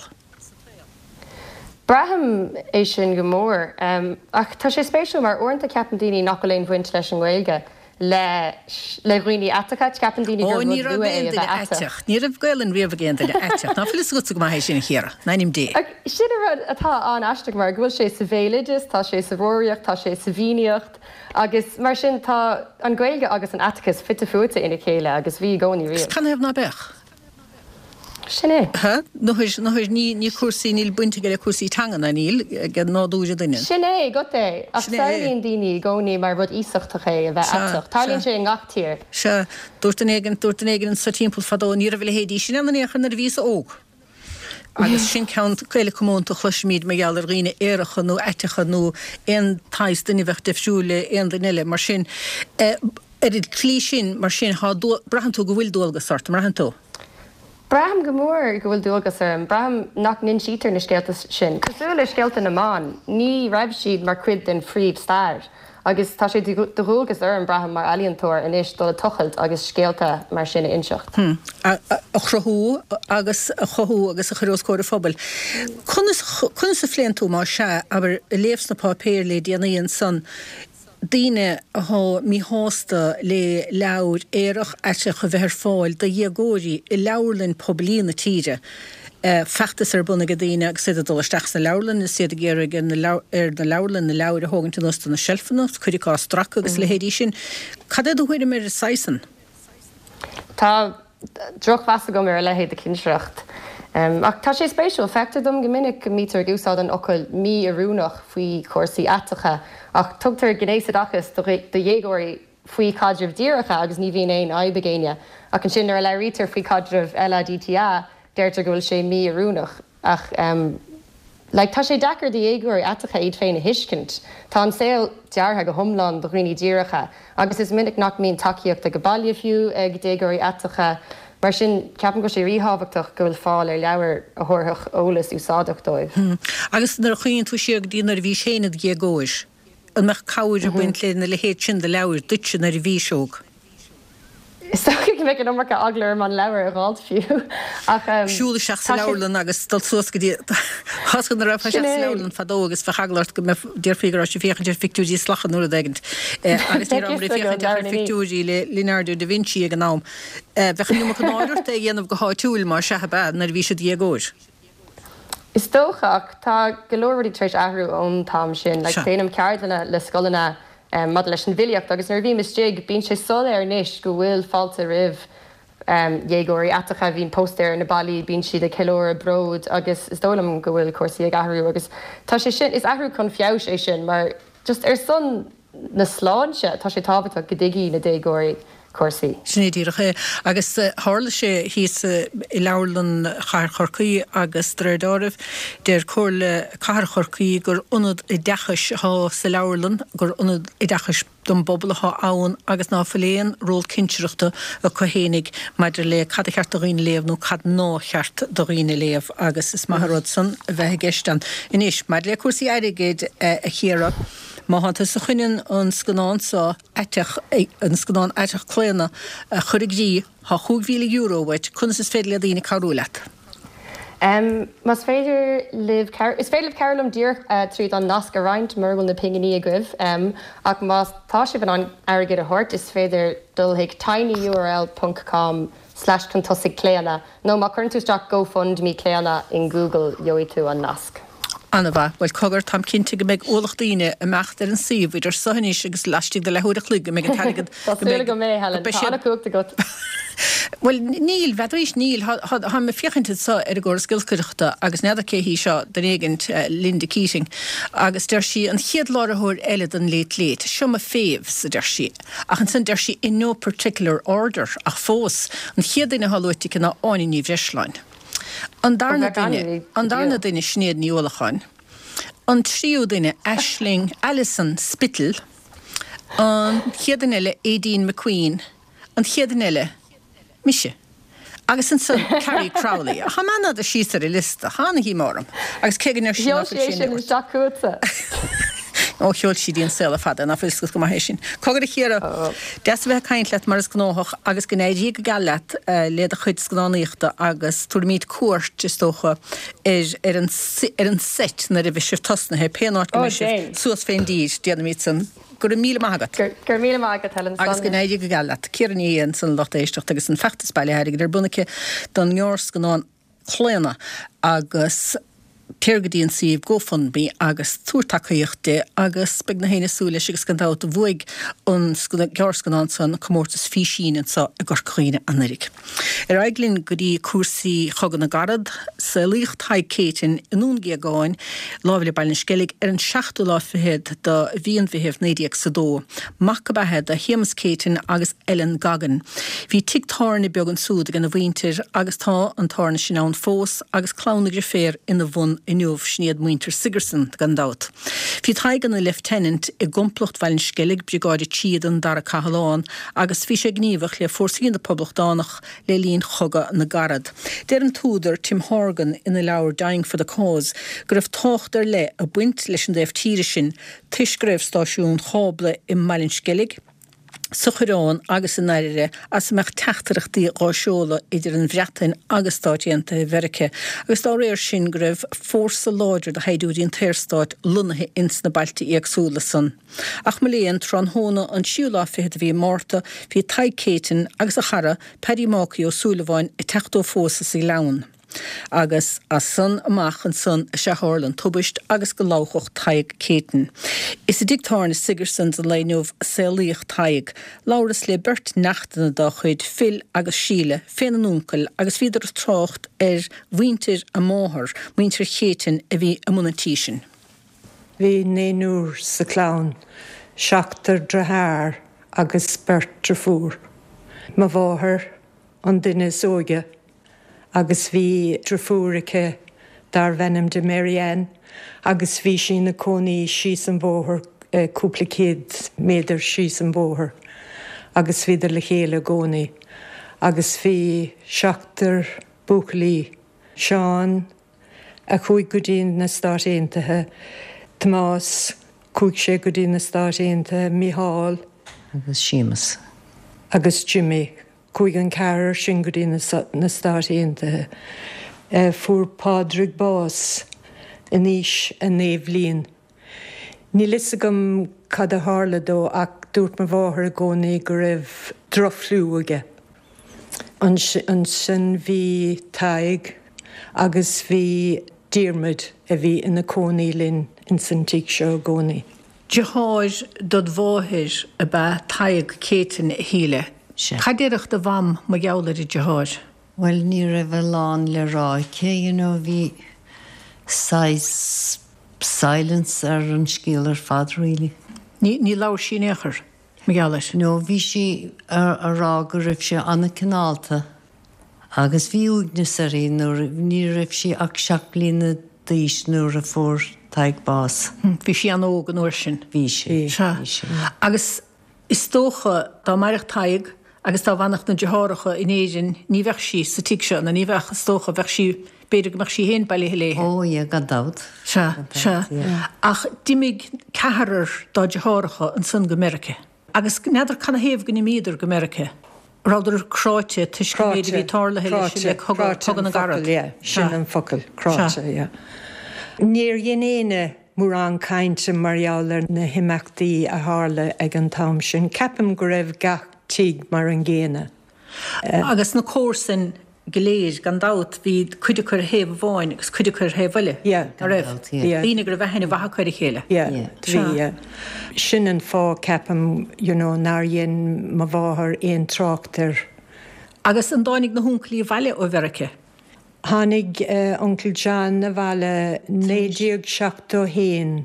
Braithim é sin go mór. Ach tá sé spéisiúil mar uaireanta ceapann daoine nach bhfuil aon bhaint leis an nGaeilge. le le dhaoine aiteacha ceapann daoine gur Ó ní raibh aon duine aiteach. Ní raibh Gaelainn riamh ag aon duine aiteach. Ná fuil a fhios agatsa go maith é sin a Chiara. In ainm Dé. Sin an rud atá an-aisteach mar go bhfuil sé sa bhéaloideas, tá sé sa bhfoghraíocht, tá sé sa bhFiannaíocht agus mar sin tá an Ghaeilge agus an aiteachas fite fuaite ina chéile agus bhí i gcónaí riamh. Canathaobh ná beadh? Sin é. Ha? Nó ní ní cúrsaí níl baint aige le cúrsaí teanga ná níl ag nádúr an duine. Sin é, go é. Ach samhlaíonn daoine i gcónaí mar rud iasachtach é a bheith aiteach. Tarlaíonn sé i ngach tír. Sea, dúirt duine éigin, dúirt duine éigin anso timpeall fadó, ní raibh a leithéidí sin ann in aon chor nuair a bhíos óg. Agus sin ceann eile comónta a chloisimid mar gheall ar dhaoine aeracha nó aiteacha nó aon tsaghas duine a bheadh difriúil le aon duine eile. Mar sin, ar an tslí sin, mar sin, thá, braitheann tú go bhfuil dualgas ort, an mbraitheann tú? Braithim go mór go bhfuil dualgas orm. Braithim nach n-insítear na scéalta sin. Cosúil le scéalta na mban, ní raibh siad mar chuid den phríomhstair. Agus tá sé de dhualgas orm, braithim, mar ealaíontóir anois dul ag tochailt agus scéalta mar sin a inseacht. A chruthú agus a chothú agus a chur os comhair an phobail. Conas, conas a phléann tú, más ea, abair, a léamh sna páipéir le déanaí ansan, daoine athá míshásta le leabhair aerach aiteach a bheith ar fáil do dhéagóirí i leabharlann poiblí na tíre. Feachtas ar bun ag daoine agus iad ag dul isteach sna leabharlanna is iad ag iarraidh ar na leabharlann na leabhair a thógaint anuas de na seilfeanna, cuid acu á stracadh agus a leithéidí sin. Cad é do thuairim ar an saghas san? Tá drochmheas agam ar a leithéid de chinsireacht. Ach tá sé spéisiúil, feictear dom go minic go mbítear ag úsáid an fhocail mí-oiriúnach faoi chúrsaí aiteacha, ach tugtar gnéasoideachas do dhéagóirí faoi chaidrimh díreacha agus ní bhíonn aon fhadhb ag éinne. Ach ansin nuair a labhraítear faoi chaidreamh LADTA, deirtear go bhfuil sé mí-oiriúnach. Ach like tá sé deacair do dhéagóirí aiteacha iad féin a thuiscint. Tá an saol deartha go hiomlán do dhaoine díreacha agus is minic nach mbíonn tacaíocht ag baile fiú ag déagóirí aiteacha. Mar sin, ceapaim go bhfuil sé ríthábhachtach go bhfuil fáil ar leabhair a thabharfadh eolas úsáideach dóibh. Agus nuair a chuimhníonn tú siar go dtí nuair a bhís féin id dhéagóir, an mbeadh cabhair ag baint lena leithéid sin de leabhair duitse nuair a bhís óg? Is dócha go mbeadh an iomarca eagla orm an leabhar a dh'fháilt fiú, ach Siúl isteach sa leabharlann agus dul suas go dtí Tá nuair a rachfá isteach sa leabharlann fadó agus bheadh eagla ort go mbeadh déarfaí go raibh sibh ag féachaint ar phictiúirí sláine nó rud éigint agus ní rabhamar ag féachaint ach ar phictiúirí le Leonardo da Vinci ag an am. Bheadh an iomarca náire ort é a dhéanamh go háitiúil má sea ab ea nuair a bhís id dhéagóir. Is dócha, ach tá go leor rudaí tar éis athrú ón t-am sin. Like, déanaim ceardlanna le scoileanna maidir leis an bhfilíocht agus nuair a bhím istigh, bíonn sé soiléir anois go bhfuil fáilte roimh dhéagóirí aiteacha, bíonn póstaeir ar na ballaí, bíonn siad ag ceiliúradh bród agus is dóigh liom go bhfuil cúrsaí ag athrú agus tá sé sin, is athrú chun feabhais é sin mar just ar son na sláinte, tá sé tábhachtach go dtuigfidh na déagóirí cúrsaí. Sin é díreach é. Agus tharla sé thíos i Leabharlann Chathair Chorcaí agus de réir dealraimh, deir Comhairle Cathrach Chorcaí gur ionad oideachais atá sa leabharlann, gur ionad oideachais don bpobal atá ann agus ná fuil aon ról cinsireachta acu fhéinig maidir le cad a cheart do dhaoine léamh nó cad ná cheart do dhaoine léamh agus is maith an rud san a bheith i gceist ann. Anois, maidir le cúrsaí airgid, a Chiara, má thánn tusa chun an scannán seo aiteach, an scannán aiteach Claonadh a chur i gcrích, thá chúig mhíle euro uait, conas is féidir le daoine cabhrú leat? Más féidir libh, is féidir libh cabhrú liom díreach tríd an nasc a roinnt mura bhfuil na pinginí agaibh, ach má tá sibh in ann airgead a thabhairt, is féidir dul chuig tinyurl ponc com slash chun tosaigh claonadh nó má chuireann tú isteach gofundme claonadh in Google gheobhaidh tú an nasc. Ana-mhaith. Bhuel, cogar, táim cinnte go mbeidh ualach daoine ag imeacht ar an suíomh idir seo anois agus laistigh de leathuair a chloig go mbeidh an t-airgead, Tá go súil mbeidh, agam é, go Helen. mbeidh Tá siad. an-chumhacht agat. Bhuel, níl, bheadaís, níl. Táim ag féachaint anso ar an gcóras giolcaireachta agus n'fheadar cé hí seo, duine éigint, Linda Keating, agus deir sí, an chéad láithreoir eile don Late Late, seo mo faves, a deir sí. Ach ansan deir sí, in no particular order, ach fós, an chéad duine atá luaite aici ná Áine Ní Bhreisleáin. An darna duine, an darna duine, Sinéad Ní Uallacháin. An tríú duine, Aisling, Alison Spittle. An chéad duine eile, Aideen McQueen. An chéad duine eile, mise. Agus ansan, Carrie Crowley. Ach tá mé an-fhada síos ar an liosta. Tá ana-dhíomá orm. Agus cé go ndeir sí Sheol nach sí bhfuil é sé sin in isteach chugatsa. Ó, sheol sí dtí an saol ar fad é, ná fuil fhios agat go maith é sin. Cogar a Chiara, deas a bheith ag caint leat mar is gnóthach agus go n-éirí go geal leat le do chuid scannánaíochta agus tabharfaimid cuairt, is dócha, ar ar an ar an seit nuair a bheidh sibh tosnaithe, pé áit go Ó, mbeidh sibh déan. suas fén dtír, déanfaimid san. Go raibh míle maith agat. Go raibh míle maith agat, Helen. Agus go n-éirí go geal leat. Ciara Ní É ansan a lucht éisteachta agus an feachtas bailithe airgid ar bun aici don ngearrscannán Claonadh agus téir go dtí an suíomh GoFundMe agus tabhair tacaíocht di agus beidh gach éinne ag súil leis agus gan dabht bhuaigh an gearrscannán san comórtas físín anseo i gCorca Dhuibhne anuraidh. Ar aghaidh linn go dtí cúrsaí Chogadh na gCarad, saolaíodh Tadhg Céitinn i nDún Géagáin, láimh le Baile an Sceilg, ar an seachtú lá fichead de mhí an Mheithimh naoi déag is a dó. Mac ab ea é do Shéamus Céitinn agus Ellen Goggin. Bhí tigh tábhairne beag ansúd ag ina mhuintir agus tá an tábhairne sin ann fós agus clann na ndriféar ina bhun inniu, sin iad muintir Sigerson, gan dabht. Bhí Tadhg ina Leifteanant i gComplacht Bhaile an Sceilg, Briogáid a trí den Dara Cathlán, agus bhí sé gníomhach le fórsaí na bPoblachtánach le linn Chogadh na gCarad. Deir an t-údar Tim Horgan ina leabhar Dying for the Cause go raibh tábhacht ar leith ag baint leis an dtaobh tíre sin toisc go raibh stáisiúin chábla i mBaile an Sceilg, sa Choireán agus in Oirire as a mbeadh teachtaireachtaí dhá seoladh idir an Bhreatain agus Stáit Aontaithe Mheirice agus dá réir sin go raibh fórsa láidir de shaighdiúirí an tSaorstáit lonnaithe ins na bailte éagsúla san. Ach mo léan, tráthnóna an tríú lá fichead de mhí Márta bhí Tadhg Céitinn agus a chara Paddy Mácaí Ó Súilleabháin ag teacht ó phósadh sa Ghleann. Agus as san amach ansan is ea a tharla an tubaist agus go ladhfadh Tadhg Céitinn. Is i dtigh tábhairne Sigersons an lae inniu a saolaíodh Tadhg. Labhras le beirt neachtanna dá chuid, Phil agus Síle, féna n-uncail agus bhíodar ag trácht ar mhuintir a máthar, muintir Chéitinn a bhí i mbun an tí sin. Bhí naonúr sa chlann, seachtar deartháir agus beirt deirfiúr. Mo mháthair an duine is óige agus bhí deirfiúr aici darbh ainm di Mary Ann agus bhí sí ina cónaí síos an bóthar, cúpla céad méadar síos an bóthar agus bhíodar le chéile i gcónaí agus bhí seachtar buachaillí, Seán a chuaigh go dtí na Stáit Aontaithe, Tomás, chuaigh sé go dtí na Stáit Aontaithe, Mícheál. Agus Séamus. Agus Jimmy. Chuaigh an ceathrar sin go dtí na Stáit Aontaithe. Fuair Pádraig bás in aois a naoi bhliain. Níl fhios agam cad a tharla dó ach dúirt mo mháthair i gcónaí go raibh drochfhliú aige. Ansin bhí Tadhg agus bhí Diarmuid a bhí ina cónaí linn ins an tigh seo i gcónaí. Deartháir dod mháthair ab ea Tadhg Céitinn, a Shíle. Sea. Cad déarfadh do mham mar gheall ar a deartháir? Bhuel, ní raibh a lán le rá aici, you know, bhí saghas silence ar an scéal ar fad, really. Ní, ní labhair sí in aon chor mar gheall air? No, bhí sí a rá go raibh sé an-cineálta agus bhí uaigneas uirthi nuair, ní raibh sí ach seacht mbliana d'aois nuair a fuair Tadhg bás. Bhí sí an-óg an uair sin. Bhí sí. Sea. Bhí sí. Agus is dócha dá mairfeadh Tadhg agus dá bhfanfadh na deartháireacha in Éirinn ní bheadh sí sa tigh seo, nó ní bheadh, is dócha, bheadh sí, b'fhéidir go mbeadh sí féin bailithe léi. Ó yeah, gan dabht. Sea, Gan dabht, sea. yeah. Ach d'imigh ceathrar dá deartháireacha ansan go Meirice. Agus n'fheadar canathaobh go n-imíodar go Meirice. Rabhadar cráite toisc an méid a bhí Cráite, tarlaithe leis cráite, le cogadh, cráite Cogadh an na focal, gCarad. yeah, sin Sea. an focal, Sea. cráite, yeah. Níor dhein éinne mórán cainte mar gheall ar na himeachtaí a tharla ag an t-am sin. Ceapaim go raibh gach tigh mar an gcéanna. Agus na comharsain go léir, gan dabht, bhí cuid acu ar thaobh amháin agus cuid acu ar thaobh eile, Yeah. ná raibh? Gan dabht, yeah. Daoine go raibh aithne mhaith acu ar a chéile. Yeah, Yeah. bhí, yeah. Sin an fáth, ceapaim, you know, nár dhein mo mháthair aon trácht air. Agus an dtáinig na huncailí abhaile ó Mheirice? Tháinig Uncail John abhaile naoi déag seachtó haon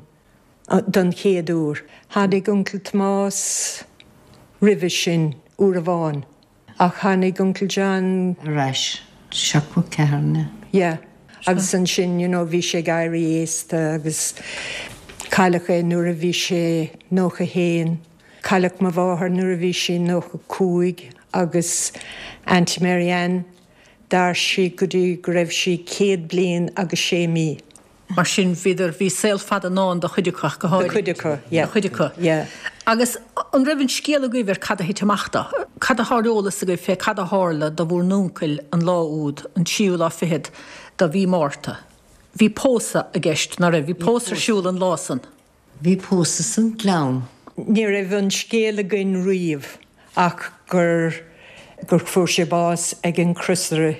don chéad uair. Tháinig Uncail Tomás roimhe sin uair amháin. Ach tháinig Uncail John. Ar ais seachtó ceathair, an ea? Yeah. Agus ansin, you know, bhí sé ag éirí aosta agus cailleadh é nuair a bhí sé nócha haon. Cailleadh mo mháthair nuair a bhí sí nócha cúig agus Auntie Mary Ann, D'mhair sí go dtí go raibh sí céad bliain agus sé mí. Mar sin, bhíodar, bhí saol fada i ndán do chuid acu ach go Do háirithe. chuid acu, yeah. Do chuid acu. Yeah. Agus an raibh an scéal agaibh ar cad a thit amach dó? Cad atá ar eolas agaibh fé cad a tharla do bhur n-uncail an lá úd, an tríú lá fichead de mhí Márta? Bhí pósadh i gceist, ná raibh? Bhí pósadh ar siúl an lá san. Bhí pósadh san Gleann. Ní raibh an scéal againn riamh ach gur gur fuair sé bás ag an crosaire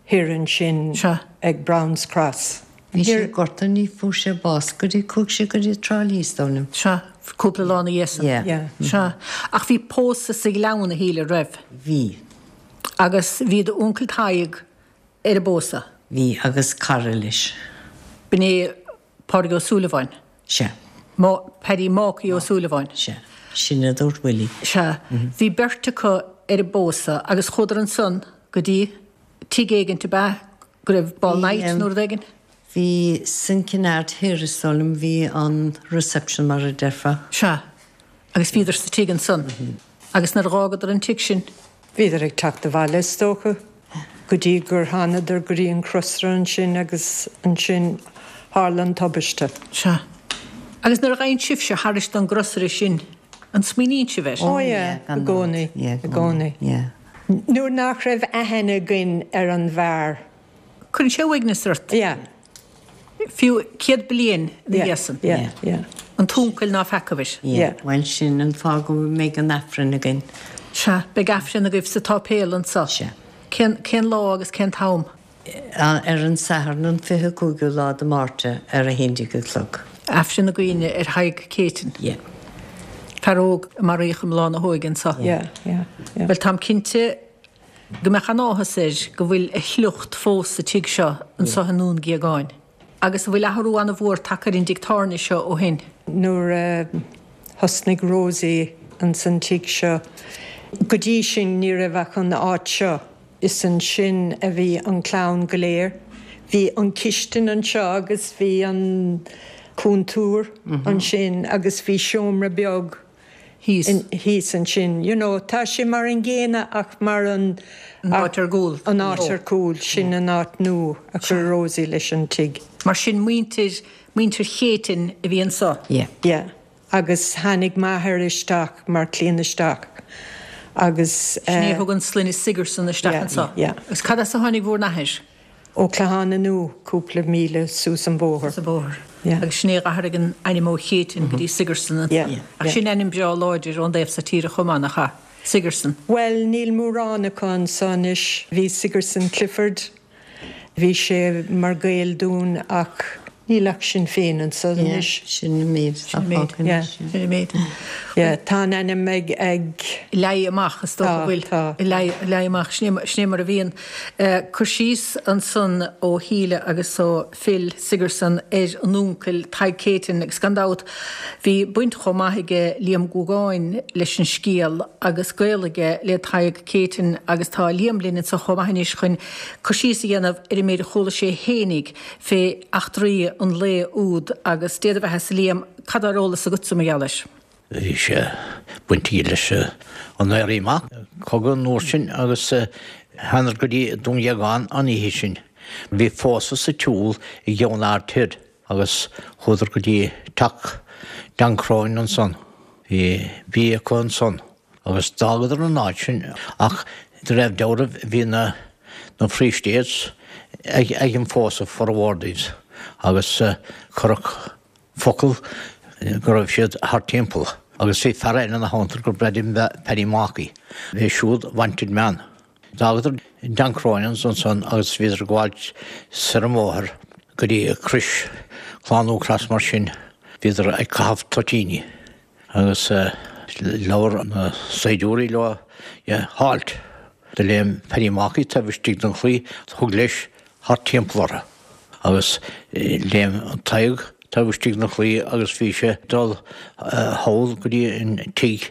thiar ansin ag Browns Cross. Bhí sé gortaithe ní fuair sé bás go dtí chuaigh sé go dtí Trá Lí is dóigh liom. Sea, cúpla lá ina dhiaidh san. Yeah. Sea. Ach bhí pósadh sa Ghleann a Shíle, raibh? Bhí. Agus bhí d'uncail Tadhg ar an bpósadh? Bhí, agus cara leis. B'in é Pádraig Ó Súilleabháin? Sea. Paddy Mácaí Ó Súilleabháin? Sea. Sin a dúirt Willie. Sea. Bhí beirt acu ar an bpósadh agus chuadar ansan go dtí tigh éigint ab ea go raibh ball night nó rud éigin? Bhí san Kinnaird Thoir is dóigh liom, bhí an reception mar a déarfá. Sea. Agus bhíodar sa tigh ansan. Agus nuair a dh'fhágadar an tigh sin? Bhíodar ag teacht abhaile is dócha, go dtí gur thánadar go dtí an crosaire ansin agus ansin tharla an tubaiste. Sea. Agus nuair a ghabhann sibhse thairis don gcrosaire sin, an smaoiníonn sibh air? Ó yeah, i gcónaí, i gcónaí. Nuair nach raibh aithne againn ar an bhfear. Cuireann sé uaigneas ort. Yeah. Fiú céad bliain ina dhiaidh san. Yeah, yeah. An t-uncail ná feacaibh. Yeah. Bhuel sin an fáth go mbeidh an Aifreann againn. Sea, beidh Aifreann agaibh sa tsáipéal anso. Sea. Cén, cén lá agus cén t-am? Ar an Satharn an fiche cúigiú lá de Márta ar a haon déag a chlog. Aifreann na gcuimhne ar Thadhg Céitinn. Yeah. Fear óg a maraíodh i mbláth na hóige anso. Yeah, yeah, yeah. Bhuel táim cinnte go mbeadh an-áthas air go bhfuil a shliocht fós sa tigh seo anso i nDún Géagáin. Agus an bhfuil athrú an-mhór tagtha ar an dtigh tábhairne seo ó shin? Nuair a thosnaigh Rosie ins an tigh seo, go dtí sin ní raibh ach an áit seo. Is ansin a bhí an clann go léir. Bhí an chistin anseo agus bhí an cúntúr ansin agus bhí seomra beag thíos thíos ansin. You know, tá sé mar an gcéanna ach mar an An áit ar gcúl. An áit ar cúl, sin an áit nua a chuir Rosie leis an tigh. Mar sin muintir, muintir Chéitinn a bhí anso. Yeah. Yeah. Agus tháinig m'athair isteach mar cliant isteach agus. Sin é a thug an sloinne Sigerson isteach anso. Yeah. Agus cad as a tháinig bhur n-athair? Ó Clochán an Iúir, cúpla míle suas an bóthar. Suas an bóthar. Yeah. Agus sin é a d'athraigh an ainm ó Chéitinn go dtí Sigerson anso. Yeah. Ach sin ainm breá láidir ón dtaobh so tíre chomh maith, nach ea? Sigerson. Bhuel, níl mórán acu anso anois. Bhí Sigerson Clifford, bhí sé mar ghaol dúinn ach níl ach sinn féin anso anois. Sin an méid atá fágtha anois. Sin an méid. Yeah, tá an ainm ag ag. Leagtha amach, is dócha go bhfuil. Tá, tá. Leagtha amach, sin é mar a bhíonn. Cur síos ansan ó Shíle agus ó Phil Sigerson ar an uncail Tadhg Céitinn agus gan dabht bhí baint chomh maith aige Liam Guagáin leis an scéal agus gaol aige le Tadhg Céitinn agus tá Liam linn anso chomh maith anois chun cur síos a dhéanamh ar an méid a chuala sé fhéinig fé eachtraí an lae úd agus Dé do bheatha-sa Liam, cad tá ar eolas agatsa mar gheall air? Bhí sé baint aige leis an Éirí Amach, cogadh an uair sin agus thánadar go dtí Dún Ghéagáin an oíche sin. Bhí pósadh sa tsiúl i gCeann Ard Thoir agus chuadar go dtí teach Dan Cronin ansan. Bhí bia acu ansan agus d'fhágadar an áit sin ach de réir dealraimh bhí na na Free States ag ag an phósadh formhór díobh agus cuireadh focal go raibh siad thart timpeall agus bhí fear eile ina theannta gur Paddy Markey. Bhí siúd wanted man. D'fhágadar Dan Cronin's ansan agus bhíodar ag gabháilt soir an bhóthar go dtí Crois, Clann Cross mar sin, bhíodar ag caitheamh toitíní agus labhair na saighdiúirí leo, yeah, halt! Do léim Paddy Markey taobh istigh den chlaí, thug leis thart timpeall orthu agus léim Tadhg taobh istigh den chlaí agus bhí sé ag dul thall go dtí an tigh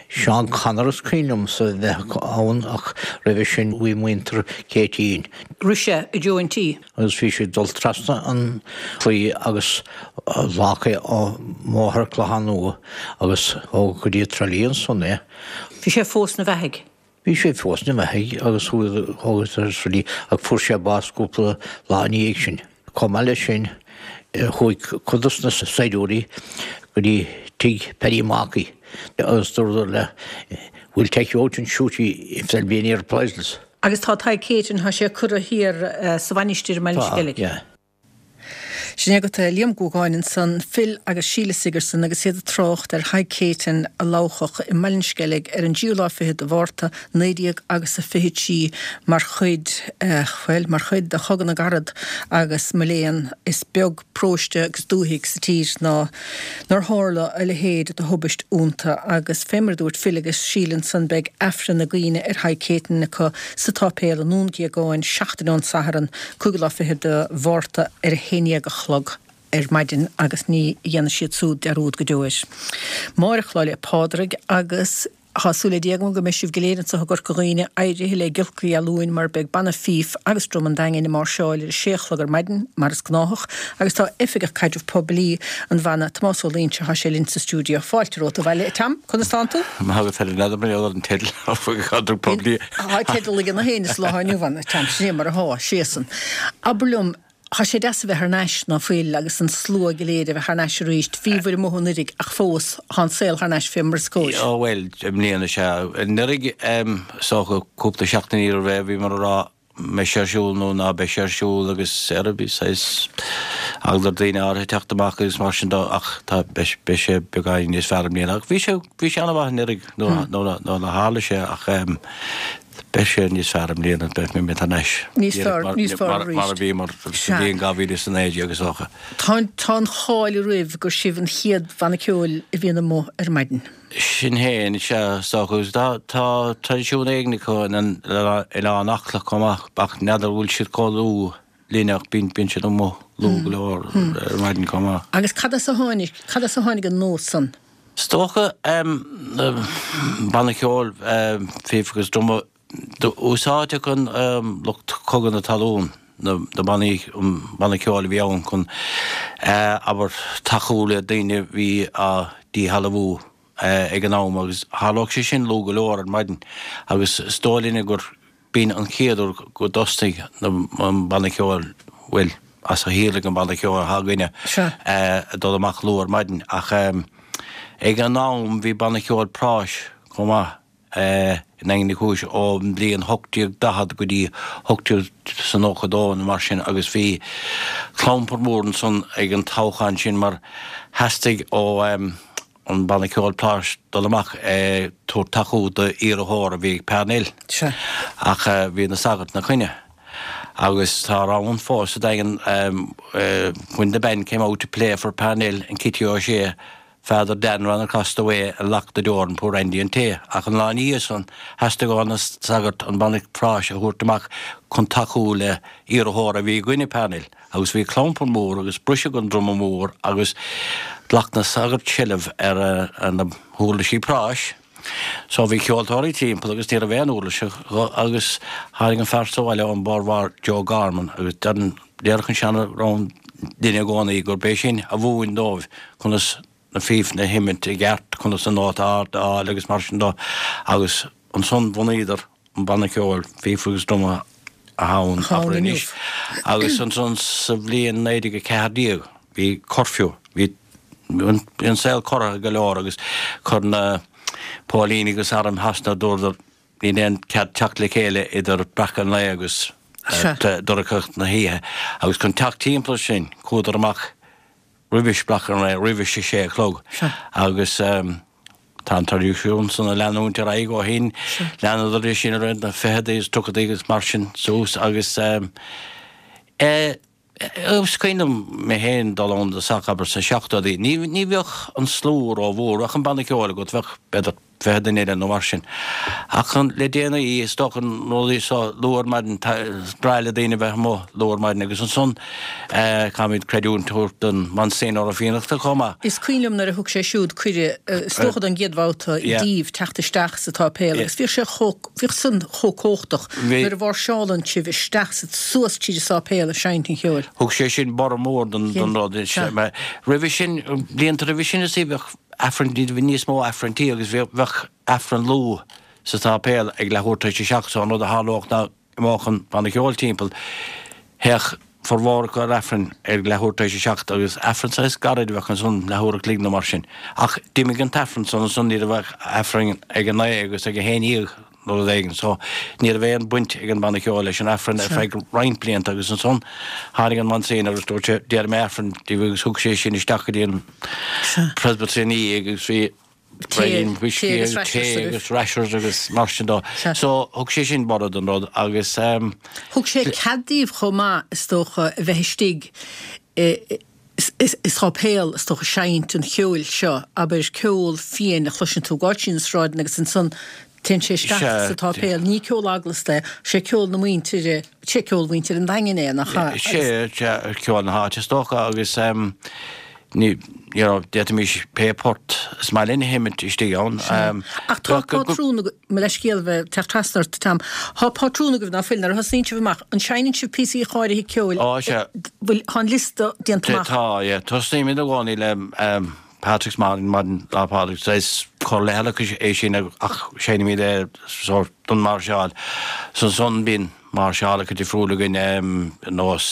Seán Connor is cuimhin liomsa a bheith ann ach roimhe sin bhí muintir Céitinn. Rith sé i dtreo an tí. Agus bhí sé ag dul trasna an chlaí agus ghlac é an bóthar Clochán Nua agus ó go dtí Trá Lí ansan é. Bhí sé fós 'na bheathaidh. Bhí sé fós 'na bheathaidh agus chuaigh Trá Lí ach fuair sé bás cúpla lá ina dhiaidh sin. Chomh maith leis sin chuaigh cuid dos na saighdiúirí go dtí tigh Paddy Markey agus dúradar le We'll take you out and shoot you if there'll be any reprisals. Agus tá Tadhg Céitinn, tá sé curtha thiar sa mhainistir i mBaile an Tá, Sceilg. yeah. Sin agat Liam Guagáin ansan, Phil agus Síle Sigerson agus iad ag trácht ar Thadhg Céitinn a labhchadh i mBaile an Sceilg ar an dtríú lá fichead de Mhárta naoi déag agus a fiche trí mar chuid, bhuel, mar chuid de Chogadh na gCarad agus mo léan, is beag paróiste agus dúthaigh sa tír ná nár tharla a leithéid de thubaist iontu agus fé mar a dúirt Phil agus Síle ansan beidh Aifreann na gcuimhne ar Thadhg Céitinn acu sa tsáipéal i nDún Géagáin seachtain ón Satharn, cúigiú lá fichead de Mhárta ar a haon dhéag a chlog ar maidin agus ní dhéanfaidh siad súd dearúd go deo air. Máireach Lá 'le Pádraig agus tá súil le Dia agam go mbeidh sibh go léir anseo i gCorca Dhuibhne éirithe le giolcaí Luain mar beidh Banna Fife agus Drum an Daingin ag máirseáil ar a sé a chlog ar maidin mar is gnáthach agus tá Oifigeach Caidreamh Poiblí an bhanna Tomás Ó Loingsigh thá sé linn sa stiúideo. Fáilte romhat abhaile a Tom, conas tánn tú? Maith agat Helen, n'fheadar mar gheall ar an teideal Oifigeach Caidreamh Poiblí. Tá teideal ag na héinne sa lá inniu ann, a Tom, sin é mar athá, séasan. Abair liom, Thá sé deas a bheith thar n-ais, ná fuil, agus an slua go léir a bheith thar n-ais arís. Bhíobhair amuigh anuiridh ach fós, thá an saol thar n-ais fé mar is cóir. Ó bhuel, i mbliana sea. Anuraidh, is dócha, cúpla seachtain roimh ré, bhíomar ag rá mbeidh sé ar siúl nó ná beidh sé ar siúl agus ar bhí saghas eagla ar daoine áirithe teacht amach agus mar sin de ach tá, beidh, beidh sé beagáinín níos fearr i mbliana. Ach bhí sé, bhí sé an-mhaith anuraidh nuair, nuair, nuair a tharla sé ach Beidh sé níos fearr i mbliana, beimid thar n-ais Níos fearr, níos fearr arís. Mar a bhíomar sa bhliain dhá mhíle is a naoi déag is dócha. Tá tá an cháil oraibh gur sibh an chéad bhanna ceoil a bhíonn amuigh ar maidin. Sin féin, sea, is dócha. Agus tá tá traidisiún éigin acu in Oileán Acla chomh maith, ach n'fheadar an bhfuil siad chomh luath linn ach bíonn bíonn siad amuigh luath go leor ar maidin chomh maith. Agus cad as a tháinig, cad as a tháinig an nós san? Is dócha, banna ceoil fíf agus druma, d'úsáideadh an lucht cogadh na talún, na bannaí, an banna ceoil a bhí ann chun, abair, tacú le daoine a bhí á díshealbhú ag an am agus tharlódh sé sin luath go leor ar maidin agus is dóigh linne gur B'in an chéad uair go dtosnaigh an banna ceoil, bhuel, as a shíolraigh an banna ceoil atá againne, ag dul amach luath ar maidin. Ach ag an am bhí banna ceoil práis chomh maith i nDaingean Uí Chúis ón mbliain hocht déag daichead go dtí hocht déag is a nócha dó nó mar sin agus bhí clampar mór ansan ag an toghchán sin mar theastaigh ó an banna ceoil práis dul amach ag tabhairt tacú d'iarrthóir a bhí ag Parnell. Sea. Ach bhí na sagairt ina choinne. Agus tá rann fós sa Daingean When the band came out to play for Parnell and Kitty O'Shea, Father Dan ran across the way and locked the door on poor Andy an Té. Ach an lá ina dhiaidh san, theastaigh ó na sagairt an banna práis a thabhairt amach chun tacú le iarrthóir a bhí i gcoinne Parnell. Agus bhí clampar mór agus briseadh an druma mór agus Ghlac na sagairt seilbh ar na huirlisí práis. So bhí ceoltóirí timpeall agus ní raibh aon uirlis acu agus tháinig an fear sa bhaile ón Bord Bharr, Joe Gorman, agus déarfadh an seanrann linne i gcónaí gurb é sin a mhúin dóibh conas na fífeanna a sheimint i gceart, conas an nóta ard a fháil agus mar sin dó agus ansan bhunaíodar an banna ceoil fífe agus druma atá ann abair anois. Agus ansan sa bhliain naoi déag a ceathair déag bhí curfew, bhí an saol corraithe go leor agus chuir na póilíní agus arm Shasana dúradar níl aon cead teacht le chéile idir breacadh an lae agus dorchacht na hoíche agus chun teacht timpeall sin chuadar amach roimhis breacadh an lae, roimhis a sé a chlog agus tá an traidisiún san ag leanúint ar aghaidh ó shin. Leanadar é sin i rith na ficheadaí is tríochadaí agus mar sin suas agus eh is cuimhin liom mé féin dul ann i dtosach abair sna seachtóidí. Ní ní bheadh an slua rómhór, bheadh an banna ceoil agat, bheadh b'fhéidir fiche duine eile nó mar sin. Ach le déanaí, is dócha na rudaí seo luath ar maidin, is breá le daoine bheith amuigh luath ar maidin agus ansan caithfimid creidiúint a thabhairt don Monsignor Ó Fiannachta chomh maith. Is cuimhin liom nuair a thug sé siúd cuireadh, is dócha don gcéad bhabhta, daoibh teacht isteach sa tsáipéal agus bhíodh sé chomh, bhíodh san chomh cumhachtach nuair a mháirseálann sibh isteach sa, suas tríd an sáipéal ag seinnt an cheoil. Thug sé sin borradh mór don rud. Roimhe sin, blianta roimhe sin is bheadh Aifreann, bhí níos mó Aifrinntí agus bheadh Aifreann luath sa tsáipéal ag leathuair tar éis a seacht so an rud a tharlódh ná imeodh an banna ceoil timpeall, théadh formhór acu ar Aifreann ag leathuair tar éis a seacht agus Aifreann saghas gairid a bheadh ansan, leathuair a chloig nó mar sin. Ach d'imigh an tAifreann san ansan, ní raibh ach Aifreann ag a naoi agus ag a haon dhéag. nó rud éigin. So ní raibh aon bhaint ag an mbanna ceoil leis an Aifreann ar feadh roinnt blianta agus ansan tháinig an Monsignor agus dúirt sé déarfaidh mé Aifreann daoibh agus thug sé sin isteach go dtí an presbytery ina dhiaidh agus bhí braon whiskey agus tae agus rashers agus mar sin dó. So thug sé sin borradh don rud agus. Thug sé cead daoibh chomh maith is dócha a bheith istigh i i sáipéal is dócha seinnt an cheoil seo, abair ceol fiáin a chloiseann tú ag gabháil trí na sráideanna agus ansan téann sé isteach sa tsáipéal. Ní ceol eaglasta é, sé ceol na muintire, sé ceol mhuintir an Daingin é, nach ea? Sé, sé ceol na háite is dócha agus ní, you know, d'fhéadfaimis pé port is maith linn a sheinnt istigh ann. Ach tá pátrún agaibh, mo leithscéal bheith teacht trasna ort, Tom, tá pátrún agaibh ná fuil, nuair a thosnaíonn sibh amach, an seinneann sibh píosaí áirithe ceoil? Ó, sea. Bhfuil, tá an liosta déanta amach? Tá, yeah. Tosnaímid i gcónaí le Patrick's Morning, Maidin Lá Pádraig, saghas cor leithleach é sin ach seinnimid é sórt don máirseáil. So ansan bíonn máirseálacha difriúla againn ar nós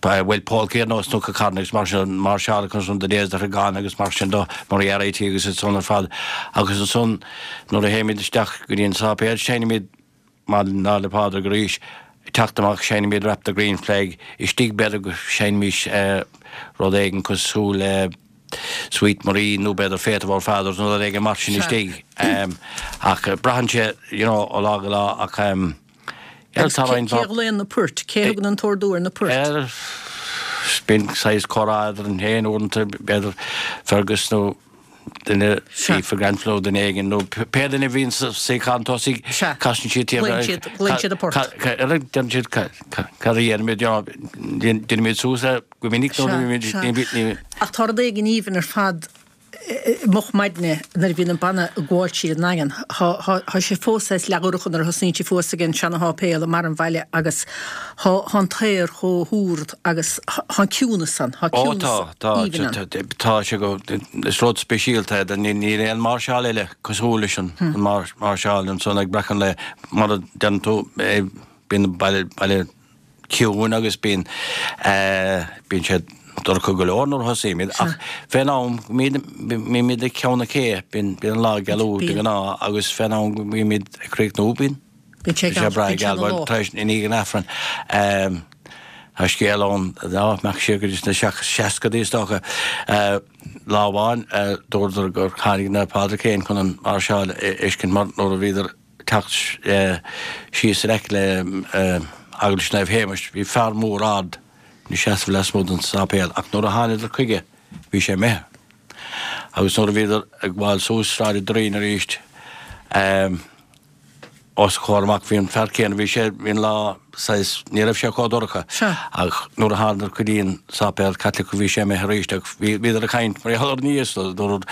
bhuel polcaí ar nós Cnoc an Charn agus mar sin, máirseálacha ansan The Days That Are Gone agus mar sin do Moriarty agus iad san ar fad. Agus ansan nuair a théimid isteach go dtí an sáipéal seinnimid Maidin Lá 'le Pádraig arís, ag teacht amach seinnimid Wrap the Green Flag, istigh b'fhéidir go seinnfimis rud éigin cosúil le Sweet Marie nó b'fhéidir Faith of Our Fathers nó rud éigin mar sin istigh. Ach braitheann sé you know ó lá go lá ach yeah tá roinnt Cé a ghlaonn na poirt? Cé a thugann an t-ordú ar na poirt? Bíonn saghas comhrá eadrainn féin uaireanta b'fhéidir Fergus nó duine Aoife Grenfell nó duine éigin nó pé duine a bhíonn sa suíochán tosaigh casann siad Glaonn siad an port. Deireann siad cad a dhéanfaimid you know déanaimid suas é go minic nó ní Ach tá rud éigin aoibhinn ar fad moch maidne nuair a bhíonn an banna ag gabháil tríd an nDaingean. Tá sé fós saghas leathdhorcha nuair a thosnaíonn sibh thuas ag an seana-sháipéal i mbarr an bhaile agus tá an t-aer chomh húr agus tá an ciúnas ann, tá ciúnas aoibhinn ann. Ó tá, tá, tá sé go, is rud speisialta é, níl aon máirseáil eile cosúil leis an máirseáil ansan ag breacadh an lae, mar a deireann tú, bíonn an baile, baile ciúin agus bíonn, bíonn sé dorcha go leor nuair a thosaímid ach fén am go mbímid ag Ceann na Cé, bíonn an lá ag gealú de ghnáth agus fén am go mbímid ag críochnú bíonn sé breá geal tar éis i ndiaidh an Aifrinn. Tá scéal ann dá mbeadh siar go dtí sna seascadaí is dócha. Lá amháin dúradar gur tháinig Naomh Pádraig féin chun an mháirseáil a fheiscint mar nuair a bhíodar ag teacht síos in aice le Eaglais Naomh Shéamais bhí fear mór ard ina seasamh lasmuigh den sáipéal ach nuair a thánadar chuige bhí sé imithe. Agus nuair a bhíodar ag gabháil suas Sráid an Doirín arís os a chomhair amach bhí an fear céanna, bhí sé, bhí an lá saghas, ní raibh sé chomh dorcha ach nuair a thánadar go dtí an sáipéal Caitliceach bhí sé imithe arís ach bhí, bhíodar ag caint mar gheall air ina dhiaidh so dúradar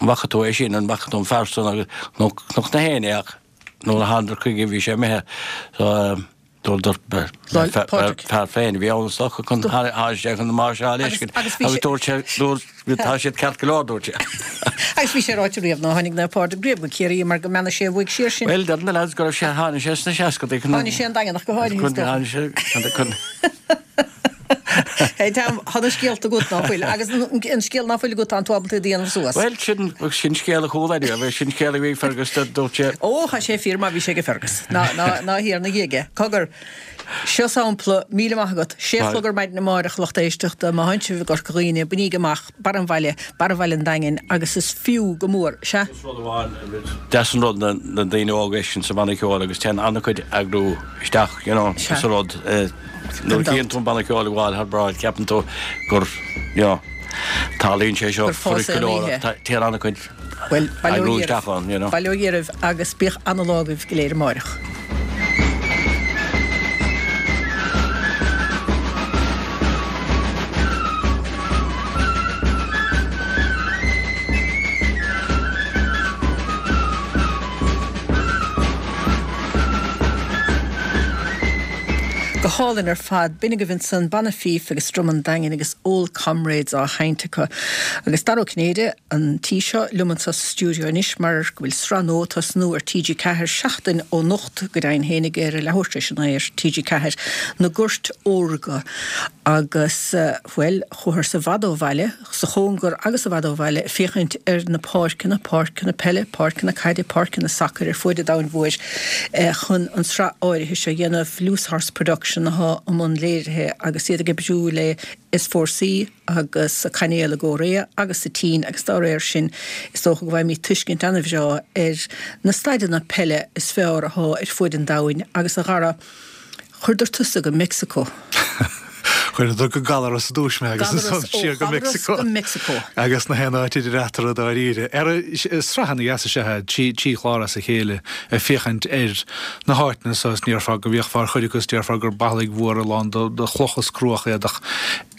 an bhfaca tú é sin, an bhfaca tú an fear san agus chonaic gach éinne é ach nuair a thánadar chuige bhí sé imithe so Dúradar fear féin a bhí ann is dócha chun tháinig sé chun na máirseáil a fheiscint agus dúirt sé dúirt tá siad ceart go leor dúirt sé. Agus bhí sé ráite riamh nár tháinig Naomh Pádraig riamh go Ciarraí mar go mbeannaigh sé a bhuaigh siar sin. Bhuel deir na lads go raibh sé tháinig sé sna seascadaí chun Tháinig sé an Daingean ach go háirithe is dócha. Tháinig sé chun Hey Tom, tá na scéalta agat ná fuil agus an scéal ná fuil agat tá tú ábalta iad a dhéanamh suas. Bhuel sin sin scéal a chuala anyway, sin scéal a bhí ag Fergus dúirt sé. Ó tá sé fíor má bhí sé ag Fergus. Ná ná ná thiar na ghéige. Cogar, seo sampla, míle maith agat. Sé a chlog ar maidin amárach lucht éisteachta, má thánn sibh i gCorca Dhuibhne, bainigí amach barr an bhaile, barr bhaile an Daingin agus is fiú go mór. Sea. Is rud amháin, deas an rud na daoine óga a fheiscint sa bhanna ceoil agus téann an-chuid eagrú isteach, you know, sa rud. Nuair a chíonn tú an banna ceoil ag gabháil thar bráid ceapann tú gur, you know, tarlaíonn sé seo fuirist go leor ach téann an-chuid eagrú isteach ann, you know. Bail ó Dhia oraibh agus bíodh ana-lá agaibh go léir amáireach. Go hálainn ar fad. B'in agaibh ansan Banna Fife agus Drum an Daingin agus Old Comrades á sheinnt acu. Agus Dara Ó Cinnéide an tí seo liom anseo sa stiúideo anois mar go bhfuil sraith nua ag tosnú ar T G Ceathair seachtain ó anocht go deimhin fhéinig ar a leathuair tar éis a naoi ar T G Ceathair, Na Goirt Órga. Agus, bhuel, chuatharsa i bhfad ó bhaile, sa chóngar agus i bhfad ó bhaile, ag féachaint ar na páirceanna, páirceanna peile, páirceanna caide, páirceanna sacair ar fuaid an domhain mhóir chun an tsraith áirithe seo a dhéanamh. Loose Horse Production atá i mbun léirithe agus iad ag oibriú le S Four C agus sa Cainéal i gCóiréa agus sa tSín agus dá réir sin is dócha go bhfaighimid tuiscint an-bhreá ar na staideanna peile is fearr atá ar fuaid an domhain agus a Dhara, Chuireadar tusa go Meicsiceo. Chuireadar go Gallaras i dtús mé agus ansan siar go Meicsiceo. Agus nach aon áit idir eatarthu dáiríre. Ara, sraith ana-dheas is ea é, trí trí chlár as a chéile ag féachaint ar na háiteanna so is ní déarfá go bhféachfá ar chuid acu is déarfá gur ballaigh mhóra lán de chlocha is cruach iad ach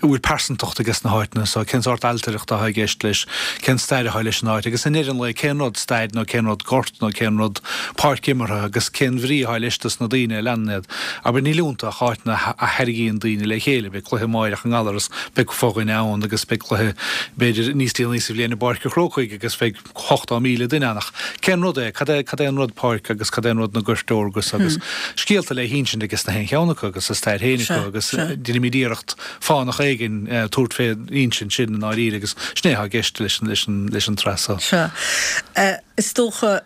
an bhfuil pearsantacht ages na háiteanna so, cén sórt ailtireacht atá i gceist leis, cén stair atá leis an áit agus i ndeireadh an lae cén rud staid nó cén rud gort nó cén rud páirc imeartha agus cén bhrí atá leis dos na daoine a leanann iad. Abair níl iontu ach áiteanna a tharraingíonn daoine le chéile, beidh cluiche amáireach i nGallaras, beidh fo-dhuine ann agus beidh cluiche b'fhéidir níos déanaí sa bhliain i bPáirc an Chrócaigh agus beidh ochtó míle duine ann ach cén rud é, cad é, cad é an rud páirc agus cad é an rud na goirt órga agus scéalta le hinsint ages na haon cheann acu agus a stair féin acu agus déanaimid iarracht fánach éigin tabhairt fén insint sin i ndáiríre agus sin é atá i gceist leis an, leis an, leis an tsraith seo. Sea. Is dócha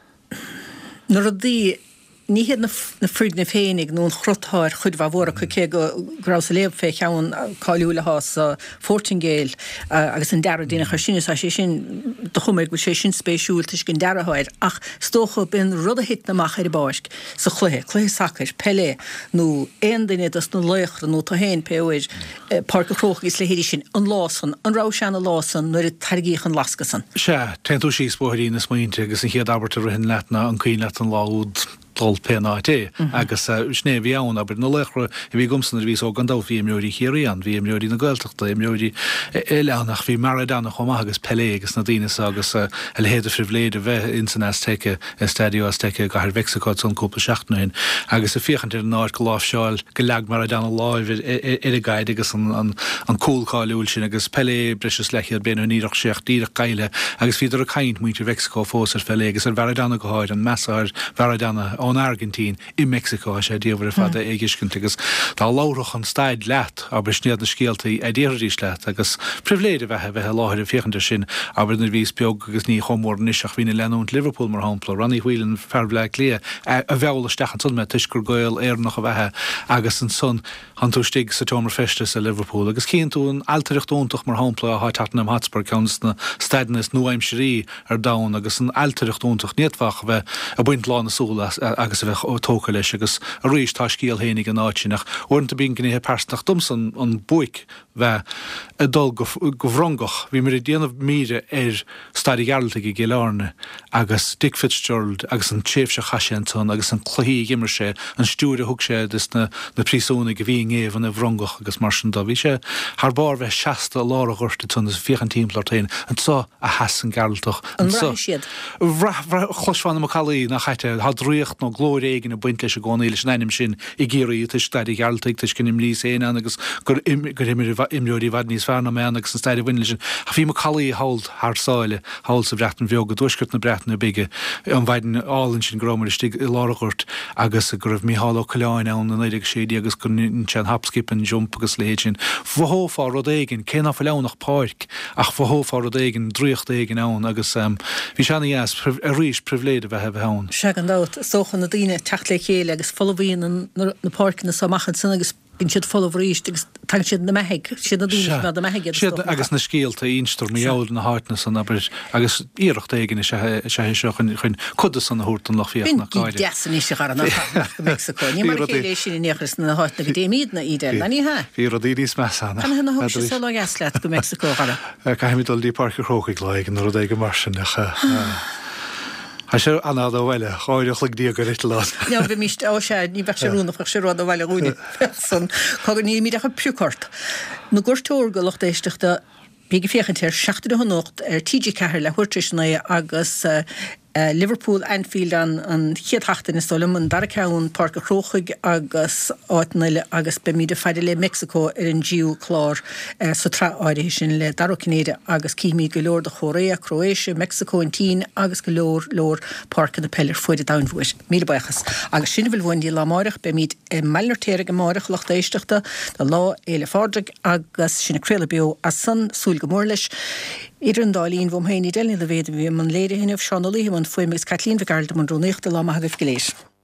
na rudaí, ní hiad na foirgnimh féinig nó an cruth atá ar chuid mhaith mhór acu, cé go rabhas ag léamh fé cheann cáiliúil atá sa Phortaingéil agus an dearadh a déanadh air sin, is tá sé sin, ba chuma go bhfuil sé sin spéisiúil toisc an dearadh atá air, ach is dócha b'in rud a thiteann amach ar an bpáirc sa chluiche, cluiche sacair, peile nó aon duine dos na laochra nó tú féin pé uair, Páirc an Chrócaigh is leithéidí sin, an lá san, an raibh sé ina lá san nuair a tarraingíodh an lascadh san? Sea, téann tú síos bóithrín na smaointe agus an chéad abairt a ritheann leat ná an cuimhin leat an lá úd dul pé áit é. Agus sin é a bhí ann, abair, na laochra a bhí agamsa nuair a bhíos óg gan dabht bhí imreoirí Chiarraí ann, bhí imreoirí na Gaeltachta, imreoirí eile ann ach bhí Maradona chomh maith agus Pelé agus na daoine so agus a leithéid de phribhléid a bheith ins an Azteca, Estadio Azteca i gcathair Mheicsiceo ansan cúpla seachtain ó shin agus ag féachaint ar an áit go láimhseáil, go leag Maradona láimh ar an gcaid agus an cúl cáiliúil sin agus Pelé breis is leathchéad bliain ó shin ní raibh sé ach díreach caillte agus bhíodar ag caint, muintir Mheicsiceo fós ar Phelé agus ar Mharadona go háirithe, an meas atá ar Mharadona ón Airgintín i Meicsiceo, tá sé diamhair ar fad é a dh'fheiscint agus dá labharfadh an staid leat, abair, sin iad na scéaltaí a déarfaidís leat agus pribhléid ab ea a bheith i láthair ag féachaint air sin, abair nuair a bhíos beag agus ní chomh mór anois ach bhínn ag leanúint Liverpool mar shampla, Ronnie Whelan, fear Bhleá Cliath, a mheall isteach ansan mé toisc gur Gael Éireannach ab ea é agus ansan tánn tú istigh sa tseomra feistis i Liverpool agus cíonn tú an ailtireacht iontach mar shampla atá Tottenham Hotspur, ceann de na staideanna is nua-aimsirí ar domhan agus an ailtireacht iontach, ní fhéadfá ach a bheith ag baint lán na súl as agus a bheith tógtha leis agus arís tá scéal féin ag an áit sin ach uaireanta bíonn gnéithe pearsanta domsa an buaic bheith ag dul go Frongoch. Bhíomar ag déanamh míre ar Staid an Ghearaltaigh i gCill Airne agus Dick Fitzgerald agus an tréimhse a chaith sé ansan agus an cluichí a dh'imir sé, an stiúir a thug sé dos na príosúnaigh a bhí i ngéibheann i bhFrongoch agus mar sin de. Bhí sé thar barr bheith seasta i lár an ghoirt ansan agus féachaint timpeall ort féin. Anso a sheas an Gearaltach. An mbraithfidh siad? Bhraith, bhraith, chloisfeá na macallaí nach ait é. Tá draíocht nó glóir éigin ag baint leis i gcónaí, leis an ainm sin i gCiarraí toisc Staid an Ghearaltaigh, toisc gur imríos féin ann agus gur gur imir imreoirí i bhfad níos fearr ná mé ann agus an stair a bhain leis sin. Ach bhí macallaí thall thar sáile, thall sa Bhreatain Bheag, i dtuaisceart na Breataine Bige, an mhaidin álainn sin go rabhamar istigh i lár an ghoirt agus go raibh Mícheál Ó Coileáin ann i naoi déag a sé déag agus go ndein sé an hop, skip and jump agus a leithéid sin. Mhothófá rud éigin, cé ná fuil ann ach páirc, ach mhothófá rud éigin, draíocht éigin ann agus bhí sé ana-dheas, arís, pribhléid a bheith a bheith ann. Sea, gan dabht, is dócha na daoine ag teacht le chéile agus folmhaíonn na páirceanna so amach ansan agus bíonn siad folamh arís agus tagann siad na beathaigh, siad na daoine Sea, na beathaigh iad is siad dócha. agus na scéalta a instear mar gheall ar na háiteanna san, abair, agus iarracht éigin is ea is ea é seo chun chun cuid de san a thabhairt don lucht B'in féachana ach go gig háirithe. deas anois a Dhara ná go Meicsiceo. Ní Bhí mar a rudaí chéile é sin in aon chor sna háiteanna go dtéimídne, Edel, ná ní hea? Bhí rudaí níos measa ann ach Canathaobh ná thug n'fheadar sé arís. lá dheas leat go Meicsiceo, a Dhara? Caithfimid dul dtí Páirc an Chrócaigh lá éigin nó rud éigin mar sin ach tá sé an-fhada ó bhaile, dhá uair an chloig déag ar eitleán. Ná bheimis, ó sea, ní bheadh sé oiriúnach, bheadh sé rófhada ó bhaile dhúinne, bheadh san. Cogar, nílimid ach ag prioc ort. Na Goirt Órga, lucht éisteachta, bíg ag féachaint air, seacht a deich anocht ar T G ceathair leathuair tar éis a naoi agus Liverpool, Anfield an an chéad sheachtain is dóigh liom, an dara ceann Páirc an Chrócaigh agus áiteanna eile agus beimid ag faire le Meicsiceo ar an dtríú clár sa tsraith áirithe sin le Dara Ó Cinnéide agus cífimid go leor de Chóiréa, Croatia, Meicsiceo, an tSín agus go leor leor páirceanna peile ar fuaid an domhain mhóir. Míle buíochas. Agus sin a bhfuil uainn lá amárach, beimid i mBaile an Fheirtéaraigh amárach, a lucht éisteachta, do Lá Fhéile Phádraig agus sinn ag craoladh beo as san, súil go mór leis. Idir an dá linn, uaim féin, Edel Ní Loibhéad a bhí i mbun léirithe inniu, Seán Ó Laoithe i mbun fuaime agus Caitlín Mhic Gearailt i mbun rúnaíochta. Lá maith agaibh go léir.